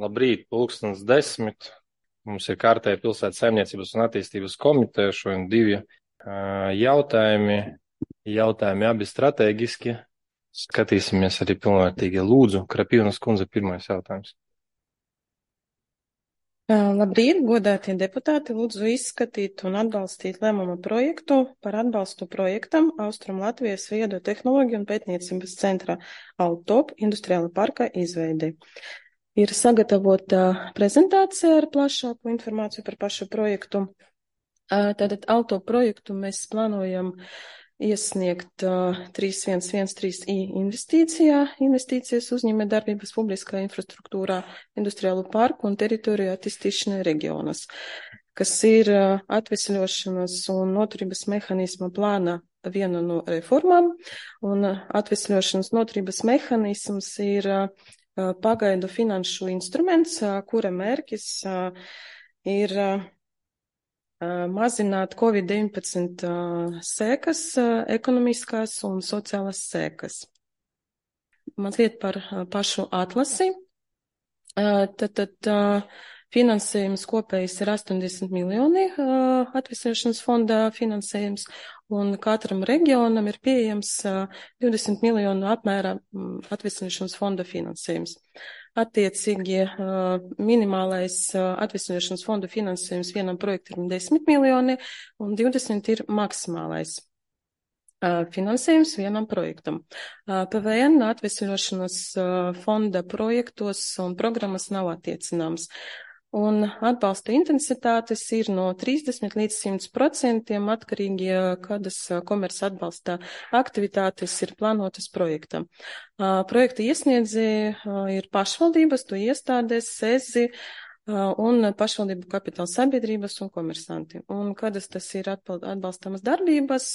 Labrīt, 10:10. Mums ir kārtēja pilsētas saimniecības un attīstības komiteja. Šodien divi jautājumi. Jautājumi abi strateģiski. Skatīsimies arī pilnvērtīgi. Lūdzu, Krapīvnas kundze, pirmais jautājums. Labrīt, godātie deputāti, lūdzu izskatīt un atbalstīt lēmuma projektu par atbalstu projektam Austrum Latvijas viedo tehnoloģiju un pētniecības centra Altop industriāla parka izveidi. Ir sagatavota prezentācija ar plašāku informāciju par pašu projektu. Tātad Altop projektu mēs plānojam iesniegt 3113I investīcijas uzņēmē darbības publiskā infrastruktūrā, industriālu parku un teritoriju attīstīšanai reģionas, kas ir atvesļošanas un noturības mehānisma plāna viena no reformām, un atvesļošanas noturības mehānisms ir pagaidu finanšu instruments, kura mērķis ir mazināt Covid-19 sekas, ekonomiskās un sociālās sekas. Mazliet par pašu atlasi. Tad finansējums kopējs ir 80 miljoni atvesļošanas fonda finansējums, un katram reģionam ir pieejams 20 miljonu apmērā atvesļošanas fonda finansējums. Attiecīgi minimālais atvesļošanas fonda finansējums vienam projektam ir 10 miljoni un 20 ir maksimālais finansējums vienam projektam. PVN atvesļošanas fonda projektos un programmas nav attiecināms. Un atbalsta intensitātes ir no 30 līdz 100% atkarīgi, kādas komerces atbalsta aktivitātes ir plānotas projektam. Projekta iesniedzēji ir pašvaldības, to iestādes, SEZI un pašvaldību kapitāla sabiedrības un komersanti. Un kādas tas ir atbalstamas darbības,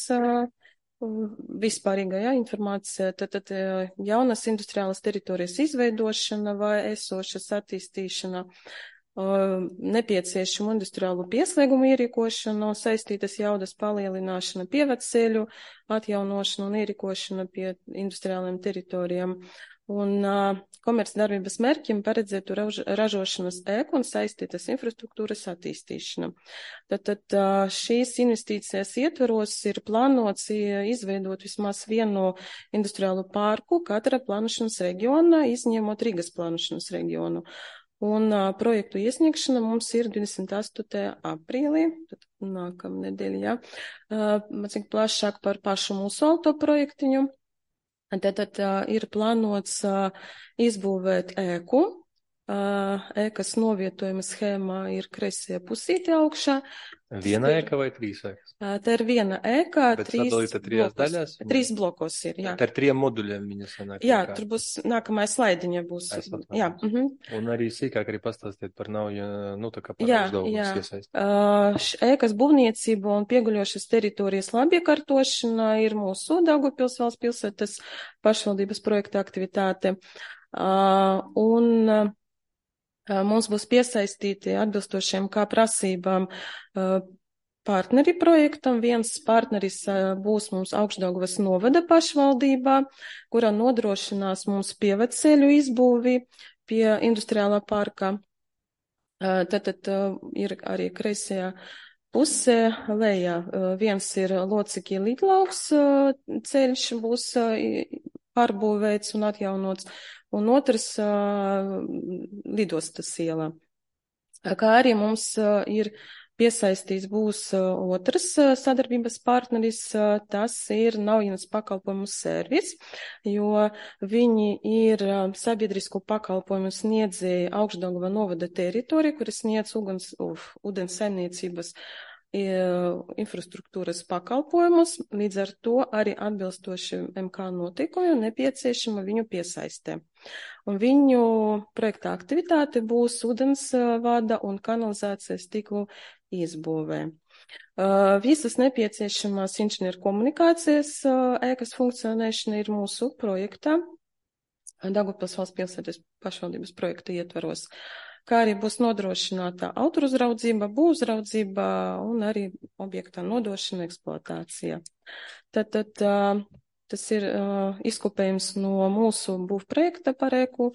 vispārīgā informācija, tad jaunas industriālas teritorijas izveidošana vai esošas attīstīšana, nepieciešamu industriālu pieslēgumu ierīkošanu, saistītas jaudas palielināšana, pieveceļu atjaunošana un ierīkošana pie industriālajiem teritorijām. Un komercdarbības mērķim paredzētu ražošanas ēku un saistītas infrastruktūras attīstīšana. Tad šīs investīcijas ietveros ir plānots izveidot vismaz vienu industriālu parku katra plānošanas reģiona, izņemot Rīgas plānošanas reģionu. Un projektu iesniegšana mums ir 28. aprīlī, tad nākamnedēļ, jā. Mazliet plašāk par pašu mūsu auto projektiņu. Tad ir plānots izbūvēt ēku. Ēkas novietojuma schēmā ir kreisajā pusītē augšā. Viena ēka vai trīs ēkas? Tā ir viena ēka, Bet sadalīta trijās daļās? Trīs blokos ir, jā. Tā ir 3 moduļiem viņa sanāk. Jā, tur būs nākamā slaidiņa būs. Jā. Un arī sīkāk arī pastāstiet par nauju, tā kā par uzdevumus iesaist. Ēkas būvniecība un pieguļošas teritorijas labiekārtošana ir mūsu Daugavpils valsts pilsētas pašvaldības projekta aktivitāte. Un mums būs piesaistīti atbilstošiem kā prasībām partneri projektam. Viens partneris būs mums Augšdaugavas novada pašvaldībā, kurā nodrošinās mums pieveceļu izbūvi pie industriālā parka. Tad ir arī kreisajā pusē lejā. Viens ir Locekī Lidlauks ceļš būs pārbūvēts un atjaunots, un otrs Lidostas ielā. Kā arī mums ir piesaistīts būs otrs sadarbības partneris, tas ir Naujienas pakalpojumu servis, jo viņi ir sabiedrisku pakalpojumu sniedzēji Augšdaugava novada teritorija, kuras sniedz ūdens saimniecības infrastruktūras pakalpojumus, līdz ar to arī atbilstoši MK noteikumiem nepieciešama viņu piesaistē. Un viņu projekta aktivitāte būs ūdens vada un kanalizācijas tīklu izbūvē. Visas nepieciešamās inženieru komunikācijas ēkas funkcionēšana ir mūsu projektā, Daugavpils valsts pilsētas pašvaldības projekta ietvaros, kā arī būs nodrošināta autoruzraudzība, būvuzraudzība un arī objektā nodošana eksploatācija. Tad tas ir izkopējums no mūsu būvprojekta par ēku.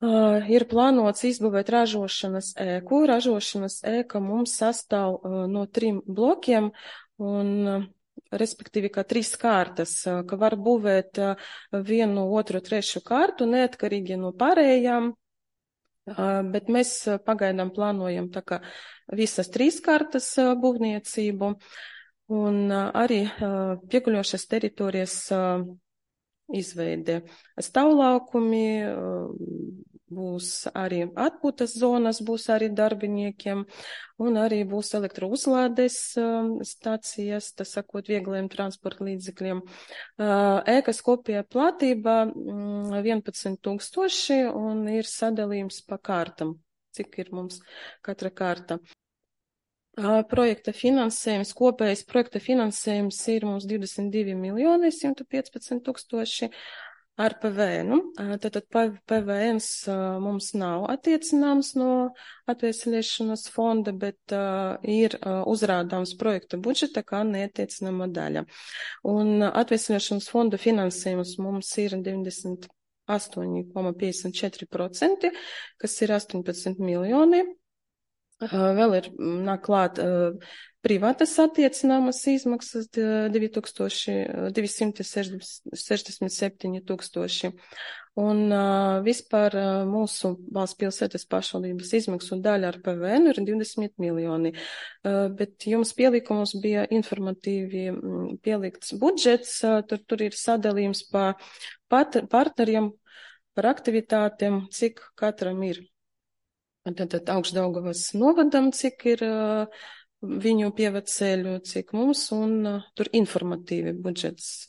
Ir plānots izbūvēt ražošanas ēku. Ražošanas ēka mums sastāv no 3 blokiem un respektīvi kā 3 kārtas, ka var būvēt 1, 2, 3 kārtu neatkarīgi no pārējām, bet mēs pagaidām plānojam tā kā visas 3 kārtas būvniecību un arī pieguļošas teritorijas izveide. Stāvlaukumi, būs arī atpūtas zonas, būs arī darbiniekiem, un arī būs elektrouzlādes stācijas, tā sakot, viegliem transporta līdzekļiem. Ēkas kopējā platība 11,000 un ir sadalījums pa kārtam, cik ir mums katra kārta. Projekta finansējums, kopējais projekta finansējums ir mums 22,115,000 ar PVN. Tātad PVN mums nav attiecināms no atveseļošanas fonda, bet ir uzrādāms projekta budžeta kā neattiecināma daļa. Un atveseļošanas fonda finansējums mums ir 98,54%, kas ir 18 miljoni. Vēl ir nāk klāt privātas attiecināmas izmaksas 267,000. Un vispār mūsu valsts pilsētas pašvaldības izmaksu daļa ar PVN ir 20 miljoni. Bet jums pielikumos bija informatīvi pielikts budžets, tur ir sadalījums pa partneriem, par aktivitātēm, cik katram ir. Tātad Augšdaugavas novadam, cik ir viņu pieveceļu, cik mums, un tur informatīvi budžets.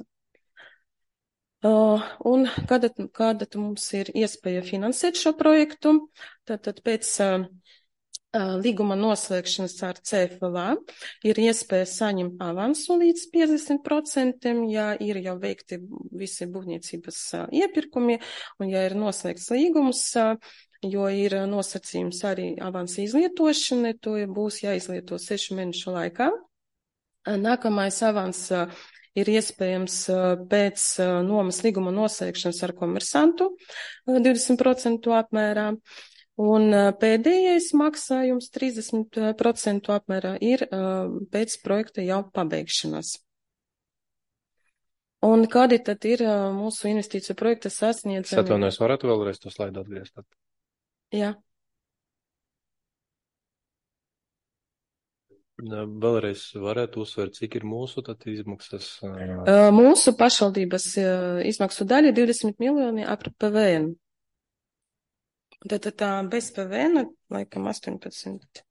Un kāda mums ir iespēja finansēt šo projektu? Tātad pēc līguma noslēgšanas ar CFLA ir iespēja saņemt avansu līdz 50%, ja ir jau veikti visi būvniecības iepirkumi, un ja ir noslēgts līgums, jo ir nosacījums arī avansa izlietošana, to būs jāizlieto 6 mēnešu laikā. Nākamais avans ir iespējams pēc nomas līguma noslēgšanas ar komersantu 20% apmērā, un pēdējais maksājums 30% apmērā ir pēc projekta jau pabeigšanas. Un kādi tad ir mūsu investīciju projekta sasniedzami? Es atvainojos, varētu vēlreiz to slaidu atgriezt? Jā. Vēlreiz varētu uzsvērt, cik ir mūsu tad izmaksas? Mūsu pašvaldības izmaksu daļa 20 miljoni ap PVN. Tātad bez PVN, laikam 18.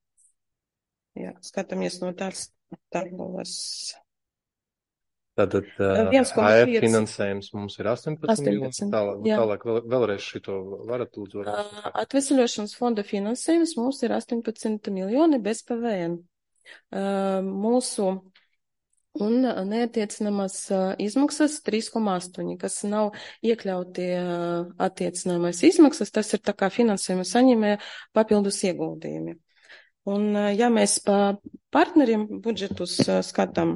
Jā, skatāmies no tās tabulas. Tātad AF finansējums mums ir 18 miljoni. Tālāk vēlreiz šito varat lūdzu. Atveseļošanas fonda finansējums mums ir 18 miljoni bez PVN. Mūsu un neattiecināmas izmaksas 3,8, kas nav iekļauti attiecināmās izmaksas, tas ir tā kā finansējuma saņēmēja papildus ieguldījumi. Un ja mēs pa partneriem budžetus skatām,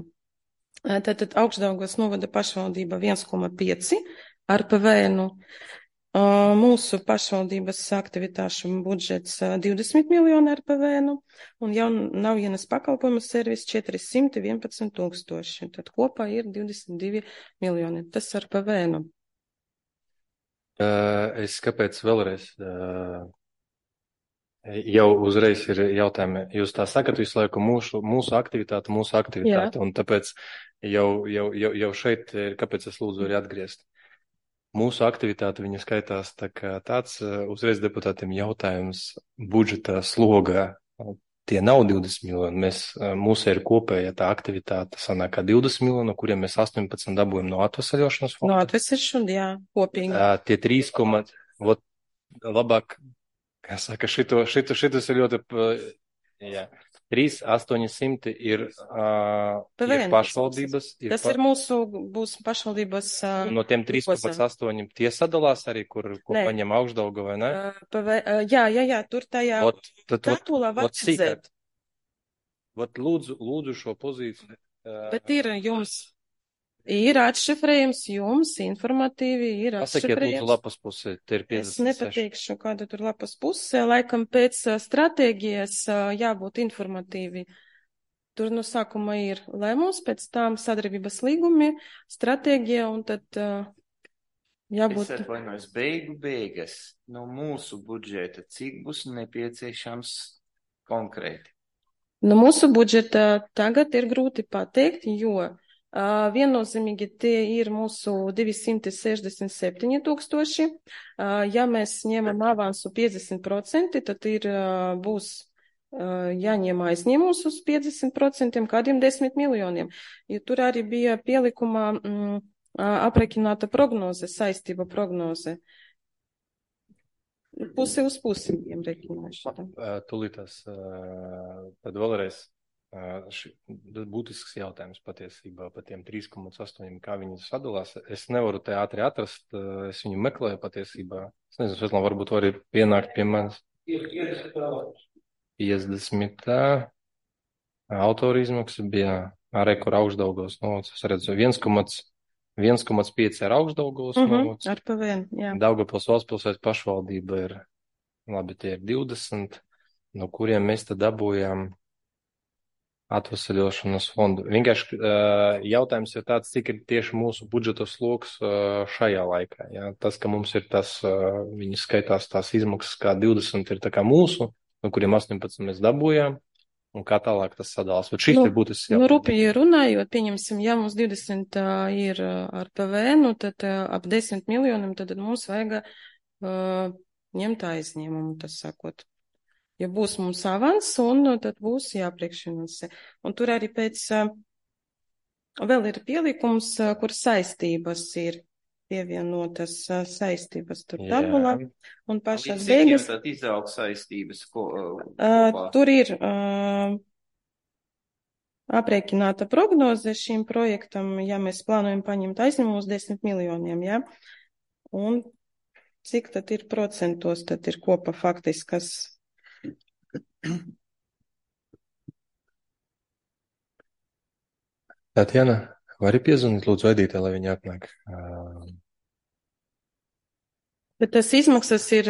tātad Augšdaugavas novada pašvaldība 1,5 ar PVN, mūsu pašvaldības aktivitāšu budžets 20 miljoni ar PVN, un jaunavienas pakalpojumu servis 411,000. Tad kopā ir 22 miljoni. Tas ar PVN. Es kāpēc vēlreiz? Jau uzreiz ir jautājumi. Jūs tā sakat visu laiku mūsu aktivitāte, Jā. un tāpēc jau šeit, kāpēc es lūdzu arī atgriezt. Mūsu aktivitāte, viņa skaitās tā kā tāds uzreiz deputātiem jautājums budžeta slogā. Tie nav 20 miljoni. Mūsu ir kopēja tā aktivitāte sanāk kā 20 miljoni, no kuriem mēs 18 dabūjam no atvesaļošanas fonda. No atvesaļošanas, jā, kopīgi. Tie 3, labāk, kā saka, šitas ir ļoti, jā. 3,800 ir pašvaldības. Tas ir mūsu būs pašvaldības. No tiem 3,8 tie sadalās arī, ko paņem Augšdaugava, vai ne? Jā, tur tajā tabulā var redzēt. Lūdzu šo pozīciju. Bet ir jums. Ir atšifrējums jums, informatīvi, ir Pasakiet, lūdzu, atšifrējums. lapas pusē, te ir Es 56. nepateikšu, kāda tur lapas pusē, laikam pēc stratēģijas jābūt informatīvi. Tur no sākuma ir lēmums, pēc tam sadarbības līgumi, stratēģija un tad jābūt. Es atvainojos, beigas no mūsu budžeta, cik būs nepieciešams konkrēti? No mūsu budžeta tagad ir grūti pateikt, jo viennozīmīgi tie ir mūsu 267 tūkstoši. Ja mēs ņemam avansu 50%, tad būs jāņem aizņēmums uz 50%, kādiem 10 miljoniem. Jo tur arī bija pielikumā aprēķināta prognoze, saistība prognoze. Pusi uz pusi viņiem rekināšu. Tūlītās, tad vēlreiz būtisks jautājums patiesībā par tiem 3,8, kā viņi sadalās. Es nevaru te ātri atrast, es viņu meklēju patiesībā. Es nezinu, Svetlana, varbūt var arī pienākt pie manis. 50. Autora izmaksa bija arī, kur Augšdaugavas novads. Es redzu 1,5 ar Augšdaugavas novads. Ar PVN, jā. Daugavpils valstspilsētas pašvaldība ir, labi, tie ir 20, no kuriem mēs tad dabūjām atvesaļošanas fondu. Vienkārši jautājums ir tāds, cik ir tieši mūsu budžeta sloks šajā laikā. Ja? Tas, ka mums ir tas, viņi skaitās tās izmaksas kā 20 ir tā kā mūsu, no kuriem 18 mēs dabūjām. Un kā tālāk tas sadalās? Bet šis ir būtisks jautājums. Rūpīgi runājot, pieņemsim, ja mums 20 ir ar PVN, tad ap 10 miljoniem, tad mums vajag ņemt aizņēmumu, tas sakot. Ja būs mums avans, un tad būs jāpriekšfinansē. Un tur arī pēc vēl ir pielikums, kur saistības ir pievienotas saistības tur tabulā. Un pašās beigas. Tad izaug saistības, tur ir aprēķināta prognoze šīm projektam, ja mēs plānojam paņemt aizņēmumus 10 miljoniem, ja? Un cik tad ir procentos, tad ir kopā faktiskas. Tatjana, vari piezvanīt lūdzu Edītē, lai viņi atnāk? Bet tas izmaksas ir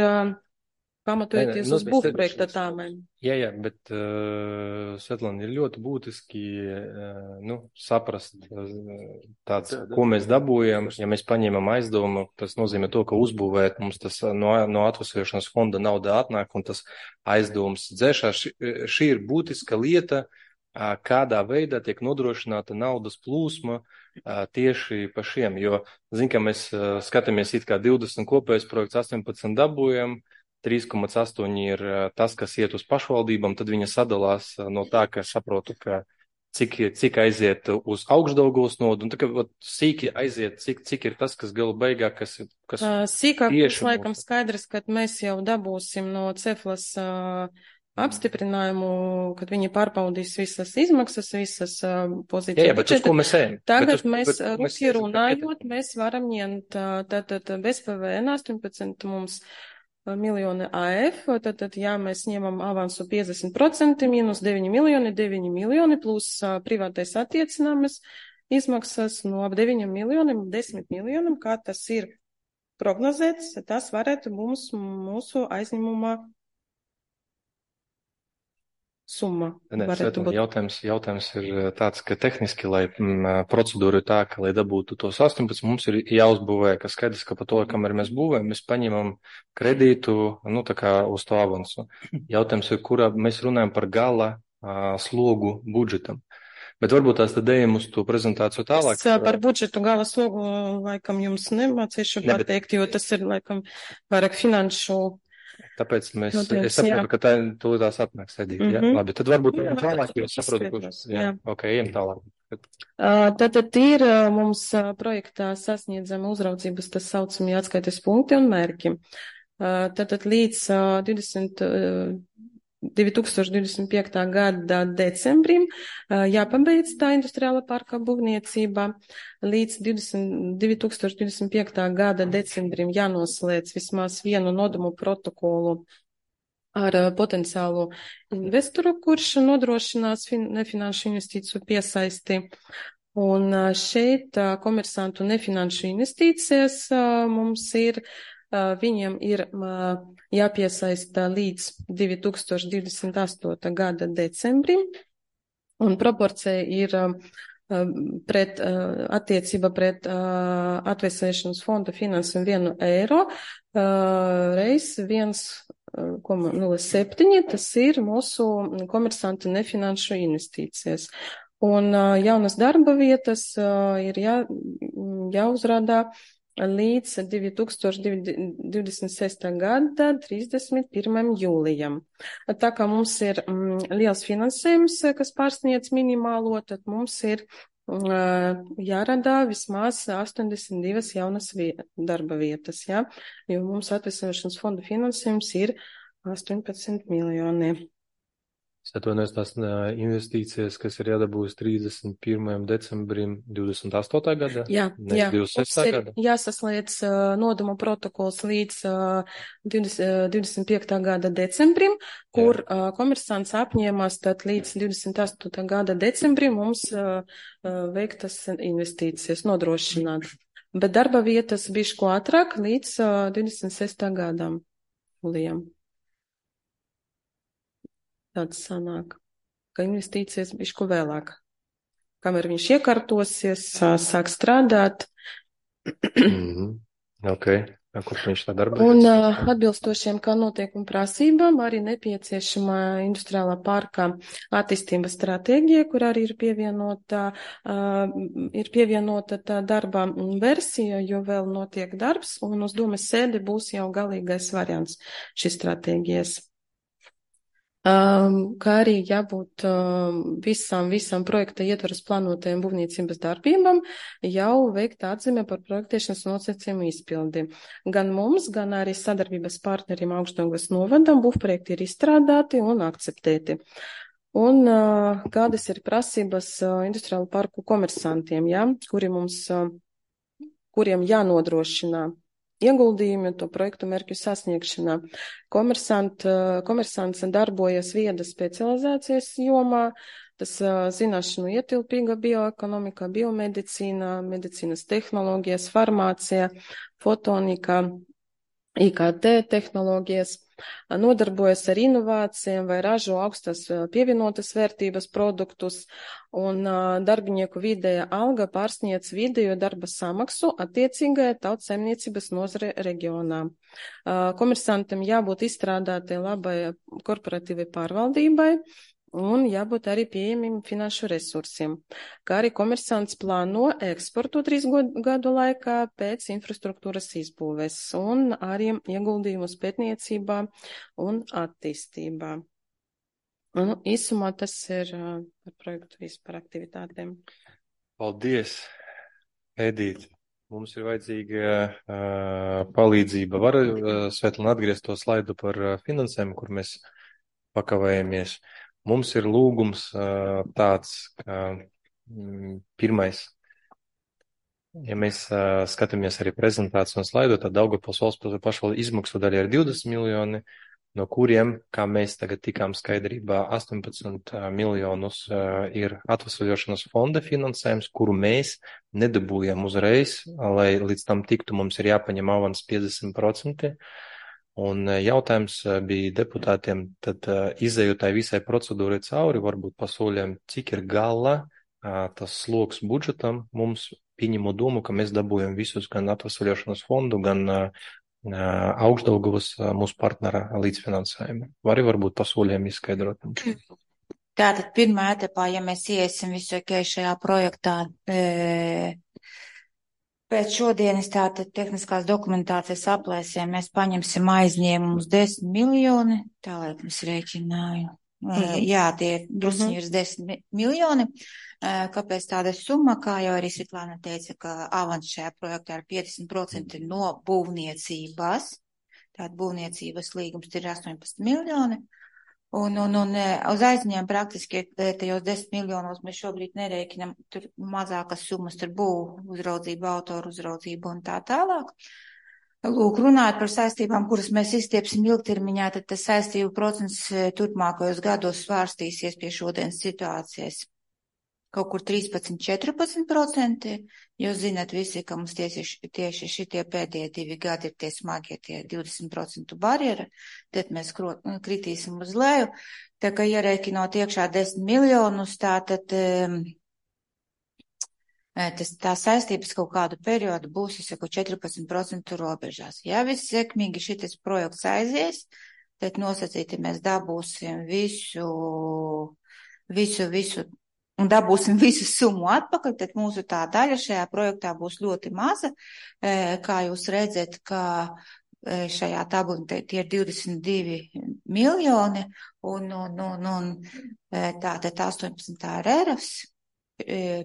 pamatojoties uz būvprojekta tāmēm. Jā, bet Svetlana, ir ļoti būtiski saprast tāds, ko mēs dabūjam. Ja mēs paņemam aizdevumu, tas nozīmē to, ka uzbūvēt mums tas no atvesļošanas fonda nauda atnāk un tas aizdevums dzēšās. Šī ir būtiska lieta, kādā veidā tiek nodrošināta naudas plūsma tieši pa šiem, jo, ka mēs skatāmies it kā 20 kopējais projekts, 18 dabūjam, 3,8 ir tas, kas iet uz pašvaldībām, tad viņa sadalās no tā, ka saprotu, ka cik aiziet uz Augšdaugavas nodu, un tā kā sīki aiziet, cik ir tas, kas gala beigā, kas sīkāk būs laikam skaidrs, kad mēs jau dabūsim no Ceflas apstiprinājumu, kad viņi pārbaudīs visas izmaksas, visas pozīcijas. Jā, bet uz ko mēs ejam? Tagad mēs rūpīgi runājot, mēs varam ņemt tātad bez PVN 18 mums miljoni AF, tad, ja mēs ņemam avansu 50%, mīnus 9 miljoni, plus privātais attiecināmas izmaksas no ap 9 miljoniem, 10 miljoniem, kā tas ir prognozēts, tas varētu mums mūsu aizņemumā summa. Jautājums ir tāds, ka tehniski, lai procedūra ir tā, ka, lai dabūtu tos 18, mums ir jāuzbūvē, ka skaidrs, ka pa to, kamēr mēs būvējam, mēs paņemam kredītu, tā kā uz to avansu. Jautājums ir, kurā mēs runājam par gala slogu budžetam. Bet varbūt tās tad ejam uz to prezentāciju tālāk. Es par budžetu gala slogu laikam jums nemācīšu pateikt, jo tas ir laikam vairāk finanšu. Tāpēc es saprotu, ka tā tūlītās atnāks Edīte. Labi, tad varbūt tālāk, jo saprotu, kurš. Ok, ejam tālāk. Tātad ir mums projektā sasniedzama uzraudzības, tas saucamie atskaites punkti un mērķi. Tātad līdz 2025. gada decembrim jāpabeidz tā industriāla parka būvniecība. Līdz 2025. gada decembrim jānoslēdz vismaz vienu nodomu protokolu ar potenciālu investoru, kurš nodrošinās nefinanšu investīciju piesaisti. Un šeit komersantu nefinanšu investīcijas mums ir, viņiem ir jāpiesaista līdz 2028. gada decembrim, un proporcija ir attiecība pret atvesēšanas fonda finansējumu 1 eiro reiz 1,07, tas ir mūsu komersantu nefinanšu investīcijas. Un jaunas darba vietas ir jāuzrādā līdz 2026. gada 31. jūlijam. Tā kā mums ir liels finansējums, kas pārsniedz minimālo, tad mums ir jārada vismaz 82 jaunas darba vietas, ja? Jo mums atvesļošanas fonda finansējums ir 18 miljoni. Es atvainojos, tās investīcijas, kas ir jādabūs 31. decembrim 28. gadā? Jā, 26. gadā. Jāsaslēdz nodoma protokols līdz 25. gada decembrim, kur komersants apņēmās tad līdz 28. gada decembrim mums veiktas investīcijas nodrošināt. Bet darba vietas bišķi ātrāk līdz 26. gadam, jūlijam. Tāds sanāk, ka investīcijas bišķi vēlāk. Kamēr viņš iekārtosies, sāk strādāt. Ok, kur viņš tā darbojas? Un atbilstošiem kā notiekumu prasībām arī nepieciešama industriālā parka attīstības stratēģija, kur arī ir pievienota tā darba versija, jo vēl notiek darbs, un uz domes sēdi būs jau galīgais variants šīs stratēģijas. Kā arī jābūt visam projekta ietvaras plānotajiem būvniecības darbībām jau veikt atzīme par projektēšanas nosacījumu izpildi. Gan mums, gan arī sadarbības partneriem Augšdaugavas novadam būvprojekti ir izstrādāti un akceptēti. Un kādas ir prasības industriālu parku komersantiem, ja, kuriem jānodrošina ieguldījumi to projektu mērķu sasniegšanā. Komersants darbojas viedas specializācijas jomā, tas zināšanu ietilpīga bioekonomika, biomedicīna, medicīnas tehnoloģijas, farmācija, fotonika, IKT tehnoloģijas, nodarbojas ar inovācijām vai ražo augstas pievienotas vērtības produktus, un darbinieku vidēja alga pārsniedz vidējo darba samaksu attiecīgajā tautsaimniecības nozare reģionā. Komersantam jābūt izstrādātai labai korporatīvai pārvaldībai un jābūt arī pieejamiem finanšu resursiem, kā arī komersants plāno eksportu 3 gadu laikā pēc infrastruktūras izbūves un arī ieguldījumus pētniecībā un attīstībā. Un īsumā tas ir par projektu vispār aktivitātēm. Paldies, Edīte. Mums ir vajadzīga palīdzība. Var, Svetlana, atgriezt to slaidu par finansējumu, kur mēs pakavējamies. Mums ir lūgums tāds, ka pirmais, ja mēs skatāmies arī prezentāciju un slaidu, tad Daugavpils valsts pašvaldu izmaksu daļa ir 20 miljoni, no kuriem, kā mēs tagad tikām skaidrībā, 18 miljonus ir atvesļošanas fonda finansējums, kuru mēs nedabūjam uzreiz, lai līdz tam tiktu, mums ir jāpaņem avans 50%. Un jautājums bija deputātiem, tad izējot tai visai procedūrai cauri, varbūt pasoļiem, cik ir gala tas sloks budžetam, mums pieņemot domu, ka mēs dabūjam visus gan atvesļošanas fondu, gan Augšdaugavas mūsu partnera līdzfinansējumu. Varbūt pasoļiem izskaidrot. Tātad pirmā etapā, ja mēs iesim visu šajā projektā, pēc šodienas tātad tehniskās dokumentācijas aplēsiem mēs paņemsim aizņēmumus 10 miljoni, tā lai es rēķināju. Jā, tie drusciņi ir 10 miljoni. Kāpēc tāda summa, kā jau arī Svetlana teica, ka avans šajā projektā ir 50% no būvniecības. Tātad būvniecības līgums ir 18 miljoni. Un uz aizņēmumu praktiski tajos 10 miljonos mēs šobrīd nerēķinam, tur mazākas summas, tur būv uzraudzība, autoru uzraudzība un tā tālāk. Lūk, runājot par saistībām, kuras mēs izstiepsim ilgtermiņā, tad tas saistību procents turpmākajos gados svārstīsies pie šodienas situācijas. kaut kur 13–14%, jo zināt visi, ka mums tieši šitie pēdējie 2 gadi ir tie smagie, tie 20% barjera, tad mēs kritīsim uz leju. Tā kā ierēķinot iekšā 10 miljonus, tātad tā saistības kaut kādu periodu būs, es saku, 14% robežās. Ja viss sekmīgi šitas projekts aizies, tad nosacīti mēs dabūsim visu un dabūsim visu summu atpakaļ, tad mūsu tā daļa šajā projektā būs ļoti maza. Kā jūs redzat, ka šajā tabulā tie ir 22 miljoni un tātad 18 ir ERAS,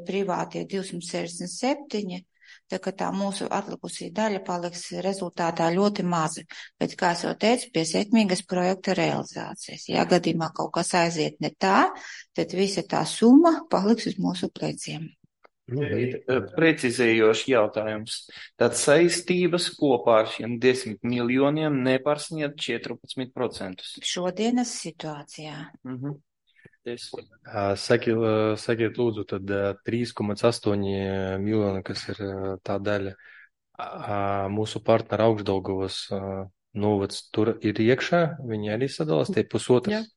privātie 267, tā ka tā mūsu atlikusī daļa paliks rezultātā ļoti maza. Bet, kā es jau teicu, pie sekmīgas projekta realizācijas. Ja gadījumā kaut kas aiziet ne tā, tad visa tā summa paliks uz mūsu pleciem. Precizējošs jautājums. Tad saistības kopā ar šiem 10 miljoniem nepārsniedz 14%. Šodienas situācijā. Sakiet lūdzu, tad 3,8 miljoni, kas ir tā daļa, mūsu partneri Augšdaugavas novads tur ir iekšā, viņi arī sadalās, tie pusotras.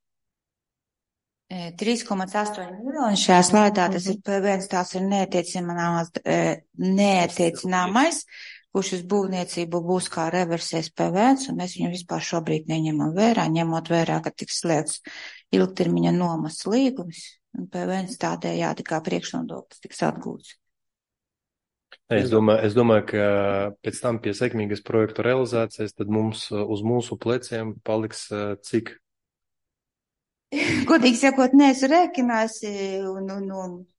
3,8 miljoni šajā slaidā, tas ir P1, tās ir neatiecināmais, kurš uz būvniecību būs kā reversēs P1, un mēs viņu vispār šobrīd neņemam vērā, ņemot vērā, ka tiks slēgts ilgtermiņa nomas līgums, un P1 tādējādi kā priekšnodoklis tiks atgūts. Es domāju, ka pēc tam pie sekmīgas projektu realizācijas, tad mums uz mūsu pleciem paliks cik? Godīgi sakot, neesmu rēķinājusi, un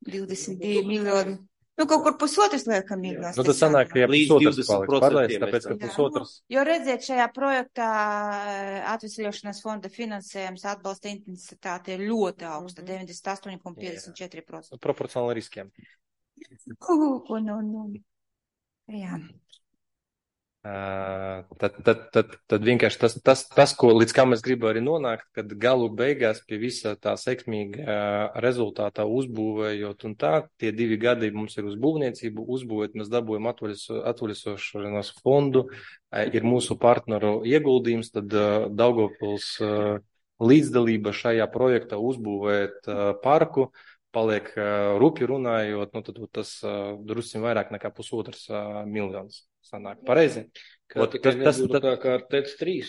22 miljoni. Kaut kur pusotras liekam miljonas. Tas sanāk, ka pusotras paliks pārlaicis, tāpēc, ka pusotras. Jo redziet, šajā projektā atvesļošanas fonda finansējums atbalsta intensitāte ir ļoti augsta, 98,54%. Proporcionāli riskiem. Jā. Tad vienkārši tas, ko līdz kā mēs gribam arī nonākt, kad galu beigās pie visa tā sekmīga rezultātā uzbūvējot un tā, tie 2 gadi mums ir uz būvniecību, uzbūvēt, mēs dabūjam atvaļisošanās fondu, ir mūsu partneru ieguldījums, tad Daugavpils līdzdalība šajā projektā uzbūvēt parku, paliek rupji runājot, tad tas drusciņ vairāk nekā pusotras miljonus. Sanāk, pareizi? Tas tā kā ar TEC 3.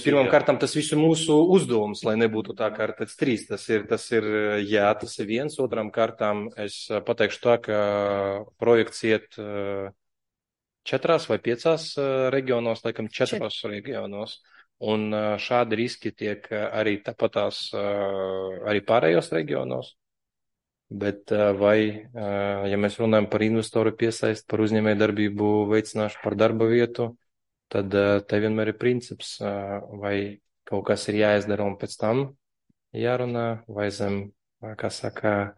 Pirmām kārtām tas visu mūsu uzdevums, lai nebūtu tā kā ar TEC 3. Tas ir viens. Otrām kārtām es pateikšu tā, ka projekts iet 4 vai 5 reģionos, laikam 4 reģionos. Un šādi riski tiek arī tāpatās arī pārējos reģionos. Bet ja mēs runājam par investoru piesaist, par uzņēmēju darbību veicināšanu, par darba vietu, tad te vienmēr ir princips, vai kaut kas ir jāizdara un pēc tam jārunā, vai zem, kā saka,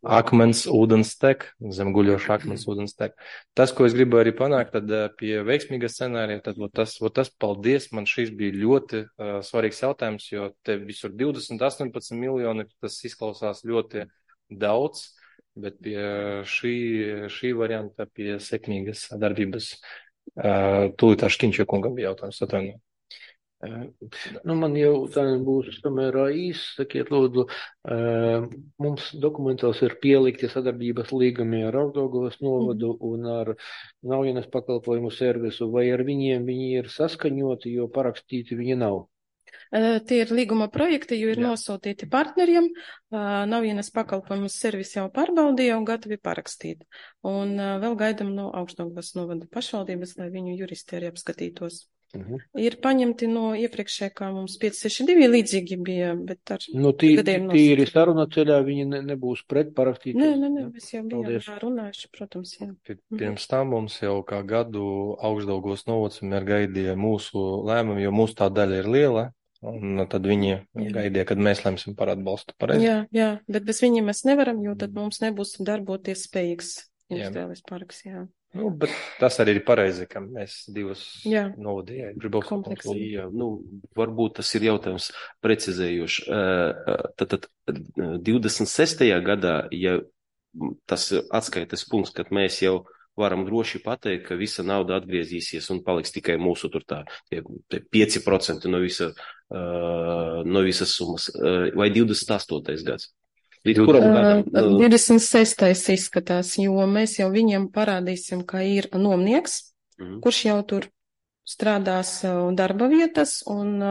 akmens ūdens tek, zem guļoša akmens ūdens tek. Tas, ko es gribu arī panākt, tad pie veiksmīga scenārija, tad tas paldies, man šis bija ļoti svarīgs jautājums, jo te visur 20–18 miljoni, tas izklausās ļoti daudz, bet pie šī varianta, pie sekmīgas darbības, tūlīt Škiņča kungam bija jautājums, atvainojiet. Man jautājums būs samērā īsts, sakiet lūdzu, mums dokumentos ir pielikti sadarbības līgumi ar Augšdaugavas novadu un ar Naujienas pakalpojumu servisu, vai ar viņiem viņi ir saskaņoti, jo parakstīti viņi nav? Tie ir līguma projekti, jo ir nosūtīti partneriem, Naujienas pakalpojumu servisi jau pārbaudīja un gatavi parakstīt. Un vēl gaidam no Augšdaugavas novada pašvaldības, lai viņu juristi arī apskatītos. Ir paņemti no iepriekšējā, kā mums 562 līdzīgi bija, bet ar gadiem tīri saruna ceļā viņi nebūs pret parakstīt. Nē, mēs jau bijām runājuši, protams, jā. Pirms tam mums jau kā gadu Augšdaugavas novads vienmēr gaidīja mūsu lēmumu, jo mūsu tā daļa ir liela. Un tad viņi gaidīja, kad mēs lemsim par atbalstu. Pareizi? Jā, bet bez viņiem mēs nevaram, jo tad mums nebūs darboties spējīgs industriālais parks, jā. Nu, bet tas arī ir pareizi, ka mēs divus Jā. novadījām. Gribētu Kompleksīgi. Jā, varbūt tas ir jautājums precizējuši. Tad 26. gadā, ja tas atskaites punkts, kad mēs jau varam droši pateikt, ka visa nauda atgriezīsies un paliks tikai mūsu tur tie 5% no visas summas, vai 28. gads? Līdz kuram gadam? 26. izskatās, jo mēs jau viņiem parādīsim, ka ir nomnieks, kurš jau tur strādās darba vietas un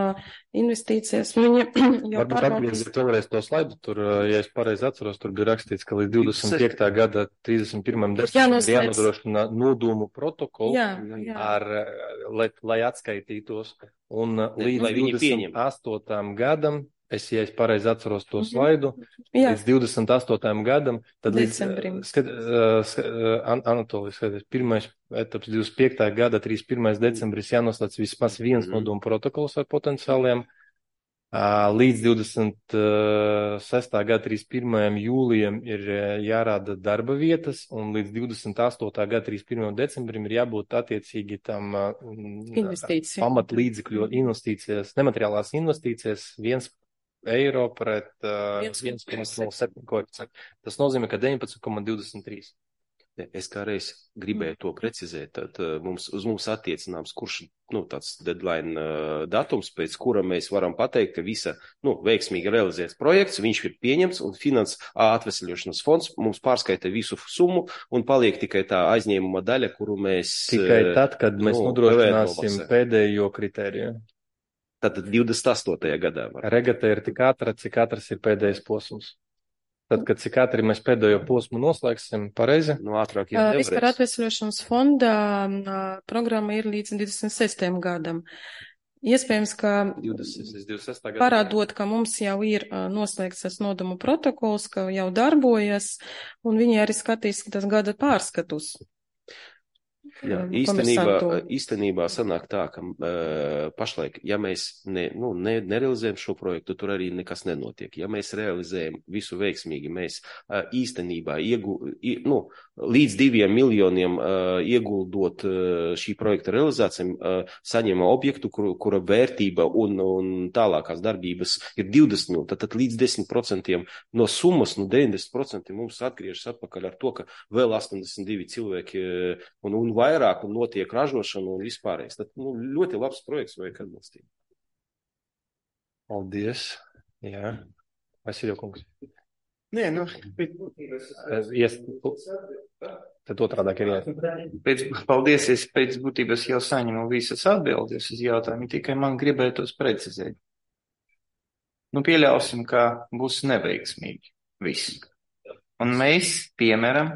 investīcijas. Viņa jau Varbūt atgrieziet vēlreiz to slaidu. Tur, ja es pareizi atceros, tur bija rakstīts, ka līdz 25. gada 31. decembrim jānodrošina nodomu protokolu, lai atskaitītos. Un līdz 28. gadam, ja es pareizi atceros to slaidu, līdz 28. gadam, tad decembrim. Anatolijas skaties, pirmais etaps 25. gada 31. decembris jānoslēdz vismaz viens nodomu protokols ar potenciāliem. Līdz 26. gada 31. jūlijam ir jārāda darba vietas, un līdz 28. gada 31. decembrim ir jābūt attiecīgi tam pamatlīdzekļu investīcijas, nemateriālās investīcijas 1 eiro pret 1,07 koeficientu. Tas nozīmē, ka 19,23. Es kā reiz gribēju to precizēt, tad uz mums attiecināms, kurš tāds deadline datums, pēc kura mēs varam pateikt, ka visa veiksmīgi realizēts projekts, viņš ir pieņemts un atveseļošanas fonds mums pārskaita visu summu un paliek tikai tā aizņēmuma daļa, kuru mēs... Tikai tad, kad mēs nodrošināsim pēdējo kritēriju. Tātad 28. gadā. Regata ir tik ātra, cik ātrs ir pēdējais posms. Tad, kad cik ātri mēs pēdējo posmu noslēgsim, pareizi? Ātrāk jau nevarēs. Vispār atvesļošanas fonda programma ir līdz 26. gadam. Iespējams, ka 26. parādot, ka mums jau ir noslēgts tas nodomu protokols, ka jau darbojas, un viņi arī skatīs tas gada pārskatus. Jā, īstenībā sanāk tā, ka pašlaik, ja mēs nerealizējam šo projektu, tur arī nekas nenotiek. Ja mēs realizējam visu veiksmīgi, mēs īstenībā līdz 2 miljoniem ieguldot šī projekta realizācijām, saņemam objektu, kura vērtība un tālākās darbības ir 20 miljoni. Tad līdz 10% no summas, 90% mums atgriežas atpakaļ ar to, ka vēl 82 cilvēki un vairāk un notiek ražošana un vispārējais. Tad ļoti labs projekts vajag atbalstīt. Paldies. Jā. Vasiljo kungs. Nē, tad otrādāk ir jāiet. Paldies, es pēc būtības jau saņemu visas atbildes uz jautājumu, tikai man gribētos precizēt. Pieļausim, ka būs neveiksmīgi viss. Un mēs, piemēram,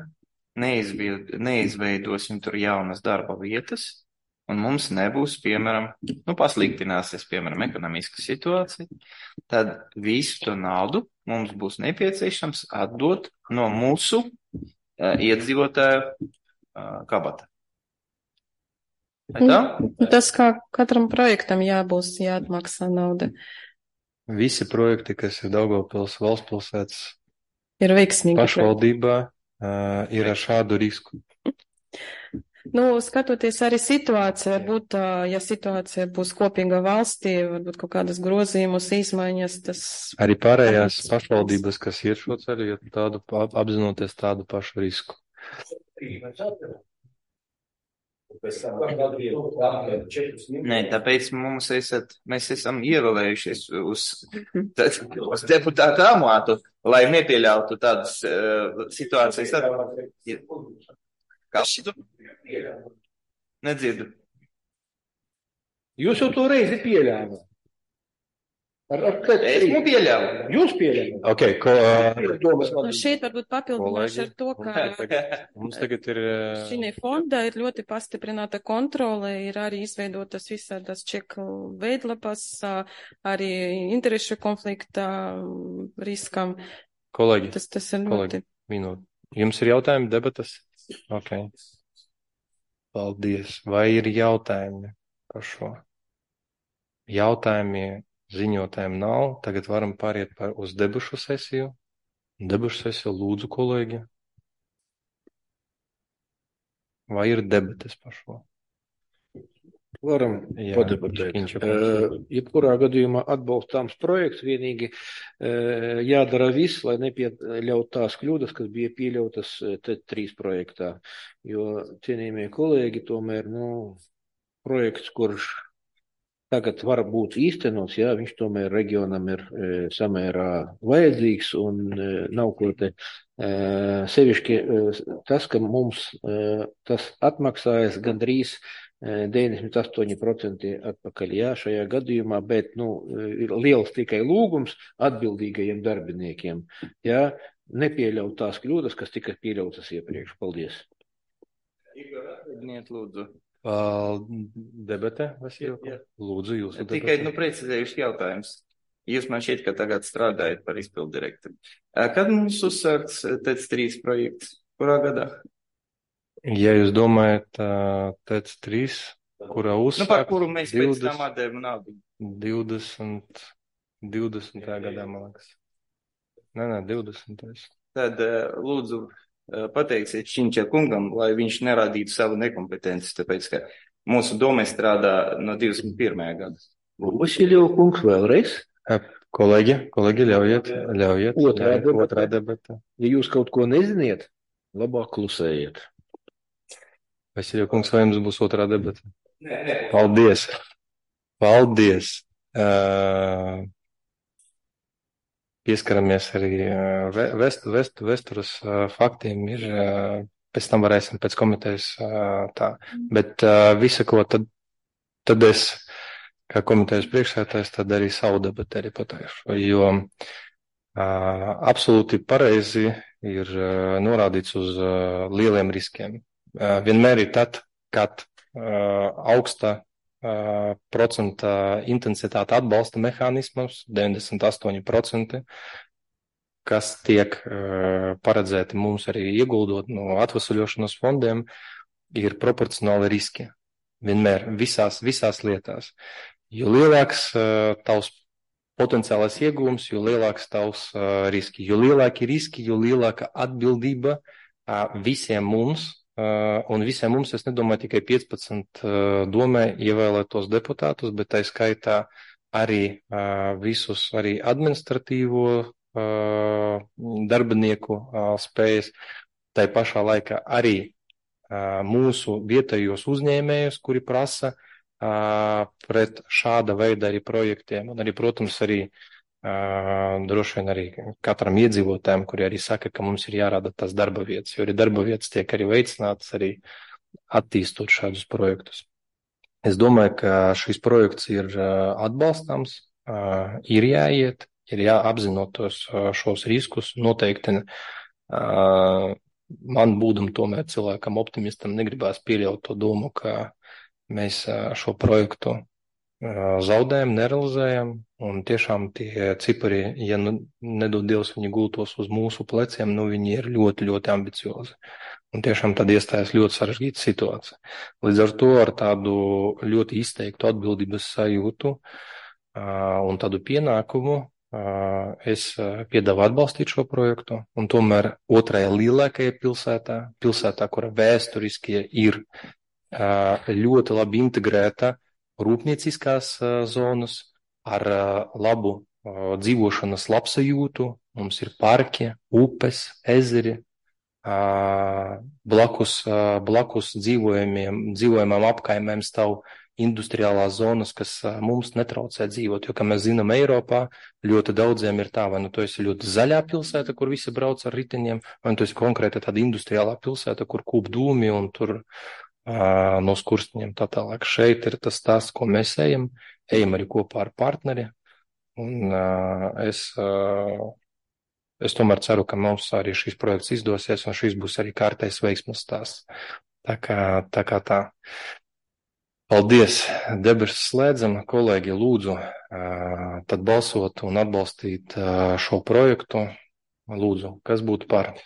neizveidosim tur jaunas darba vietas, un mums nebūs, piemēram, pasliktināsies, piemēram, ekonomiska situācija, tad visu to naudu mums būs nepieciešams atdot no mūsu iedzīvotāju kabata. Tas kā katram projektam jāatmaksā nauda. Visi projekti, kas ir Daugavpils valstspilsētas ir veiksmīgi pašvaldībā, ir ar šādu risku. Skatoties arī situāciju, varbūt, ja situācija būs kopīga valstī, varbūt kaut kādas grozījumus, izmaiņas, tas... Arī pārējās pašvaldības, kas iet šo ceļu, apzinoties tādu pašu risku. Nē, tāpēc mēs esam ievēlējušies uz deputātu amatu, lai nepieļautu tādas situācijas. Kas šitu? Nedzirdu. Jūs jau to reizi pieļāvāt. Esmu pieļāvu. Jūs pieļāvāt. Okay, šeit varbūt papildināšu ar to, ka mums tagad ir šī fonda ir ļoti pastiprināta kontrole, ir arī izveidotas visādas čeku veidlapas, arī interešu konflikta riskam. Kolēģi, tas ir ļoti... minūte. Jums ir jautājumi, debatas? Ok. Paldies. Vai ir jautājumi par šo? Jautājumi ziņotājiem nav. Tagad varam pāriet uz debušu sesiju. Debušu sesiju lūdzu, kolēģi. vai ir debates par šo? Varam padebatēt. Jebkurā gadījumā atbalstāms projekts, vienīgi jādara viss, lai nepieļaut tās kļūdas, kas bija pieļautas T3 projektā. Jo, cienījamie kolēģi, tomēr, projekts, kurš tagad var būt īstenots, jā, viņš tomēr reģionam ir samērā vajadzīgs un nav ko te sevišķi tas, ka mums tas atmaksājas gandrīz 98% atpakaļ, jā, šajā gadījumā, bet, ir liels tikai lūgums atbildīgajiem darbiniekiem, jā, nepieļaut tās kļūdas, kas tika pieļautas iepriekš. Paldies. Igor, atvediniet, lūdzu. Debate, Vasilko? Lūdzu, jūs. Tikai, precizējuši jautājums. Jūs man šķiet, ka tagad strādājat par izpildu direktoru. Kad mums uzsākts TEC3 projekts? Kurā gadā? Ja jūs domājat TEC3, kurā uzsākts... par kuru mēs pēc tam atdevam naudu. 20. gadā, man liekas. Nē, 20. Tad, lūdzu, pateiksiet Šinča kungam, lai viņš nerādītu savu nekompetenci, tāpēc, ka mūsu doma strādā no 21. gada. Vasiljev kungs vēlreiz. Kolēģi, ļaujiet. Otrā debata. Ja jūs kaut ko neziniet, labāk klusējiet. Vasiljev kungs, vai jums būs otrā debata? Nē. Paldies. Pieskaramies arī Vesturas faktiem ir, pēc tam varēsim pēc komitejas tā. Bet visa, ko tad es, kā komitejas priekšsētājs, tad arī savu debatu arī pateikšu, jo absolūti pareizi ir norādīts uz lieliem riskiem. Vienmēr ir tad, kad augsta procenta intensitāte atbalsta mehānismus, 98%, kas tiek paredzēti mums arī ieguldot no atvesaļošanas fondiem, ir proporcionāli riski. Vienmēr, visās lietās. Jo lielāks tavs potenciālais iegūms, jo lielāks tavs riski. Jo lielāki riski, jo lielāka atbildība visiem mums. Un visiem mums, es nedomāju, tikai 15 domē ievēlētos deputātus, bet tā skaitā arī visus arī administratīvo darbinieku spējas, tai pašā laikā arī mūsu vietējos uzņēmējus, kuri prasa pret šāda veida arī projektiem. Un arī, protams, arī droši vien arī katram iedzīvotājiem, kuri arī saka, ka mums ir jārāda tās darba vietas, jo arī darba vietas tiek arī veicinātas arī attīstot šādus projektus. Es domāju, ka šis projekts ir atbalstāms, ir jāiet, ir jāapzinot šos riskus. Noteikti man būdam tomēr cilvēkam optimistam negribās pieļaut to domu, ka mēs šo projektu zaudējam, nerealizējam, un tiešām tie cipari, ja nedod Dievs viņi gultos uz mūsu pleciem, viņi ir ļoti, ļoti ambiciozi. Un tiešām tad iestājas ļoti sarežģīta situācija. Līdz ar to ar tādu ļoti izteiktu atbildības sajūtu un tādu pienākumu es piedāvu atbalstīt šo projektu, un tomēr otrajā lielākajā pilsētā, kura vēsturiski ir ļoti labi integrēta rūpnieciskās zonas ar labu dzīvošanas labsajūtu. Mums ir parki, upes, ezeri, blakus dzīvojamām apkaimēm stāv industriālās zonas, kas mums netraucē dzīvot, jo, kā mēs zinām, Eiropā ļoti daudziem ir tā, vai tu esi ļoti zaļā pilsēta, kur visi brauc ar riteņiem, vai tu esi konkrēti tāda industriālā pilsēta, kur kūp dūmi un tur no skursteņiem tā tālāk. Šeit ir tas stāsts, ko mēs ejam arī kopā ar partneri, un es tomēr ceru, ka mums arī šis projekts izdosies, un šis būs arī kārtējs veiksmes stāsts. Tā kā tā. Paldies, debesis slēdzam, kolēģi, lūdzu, tad balsot un atbalstīt šo projektu. Lūdzu, kas būtu par?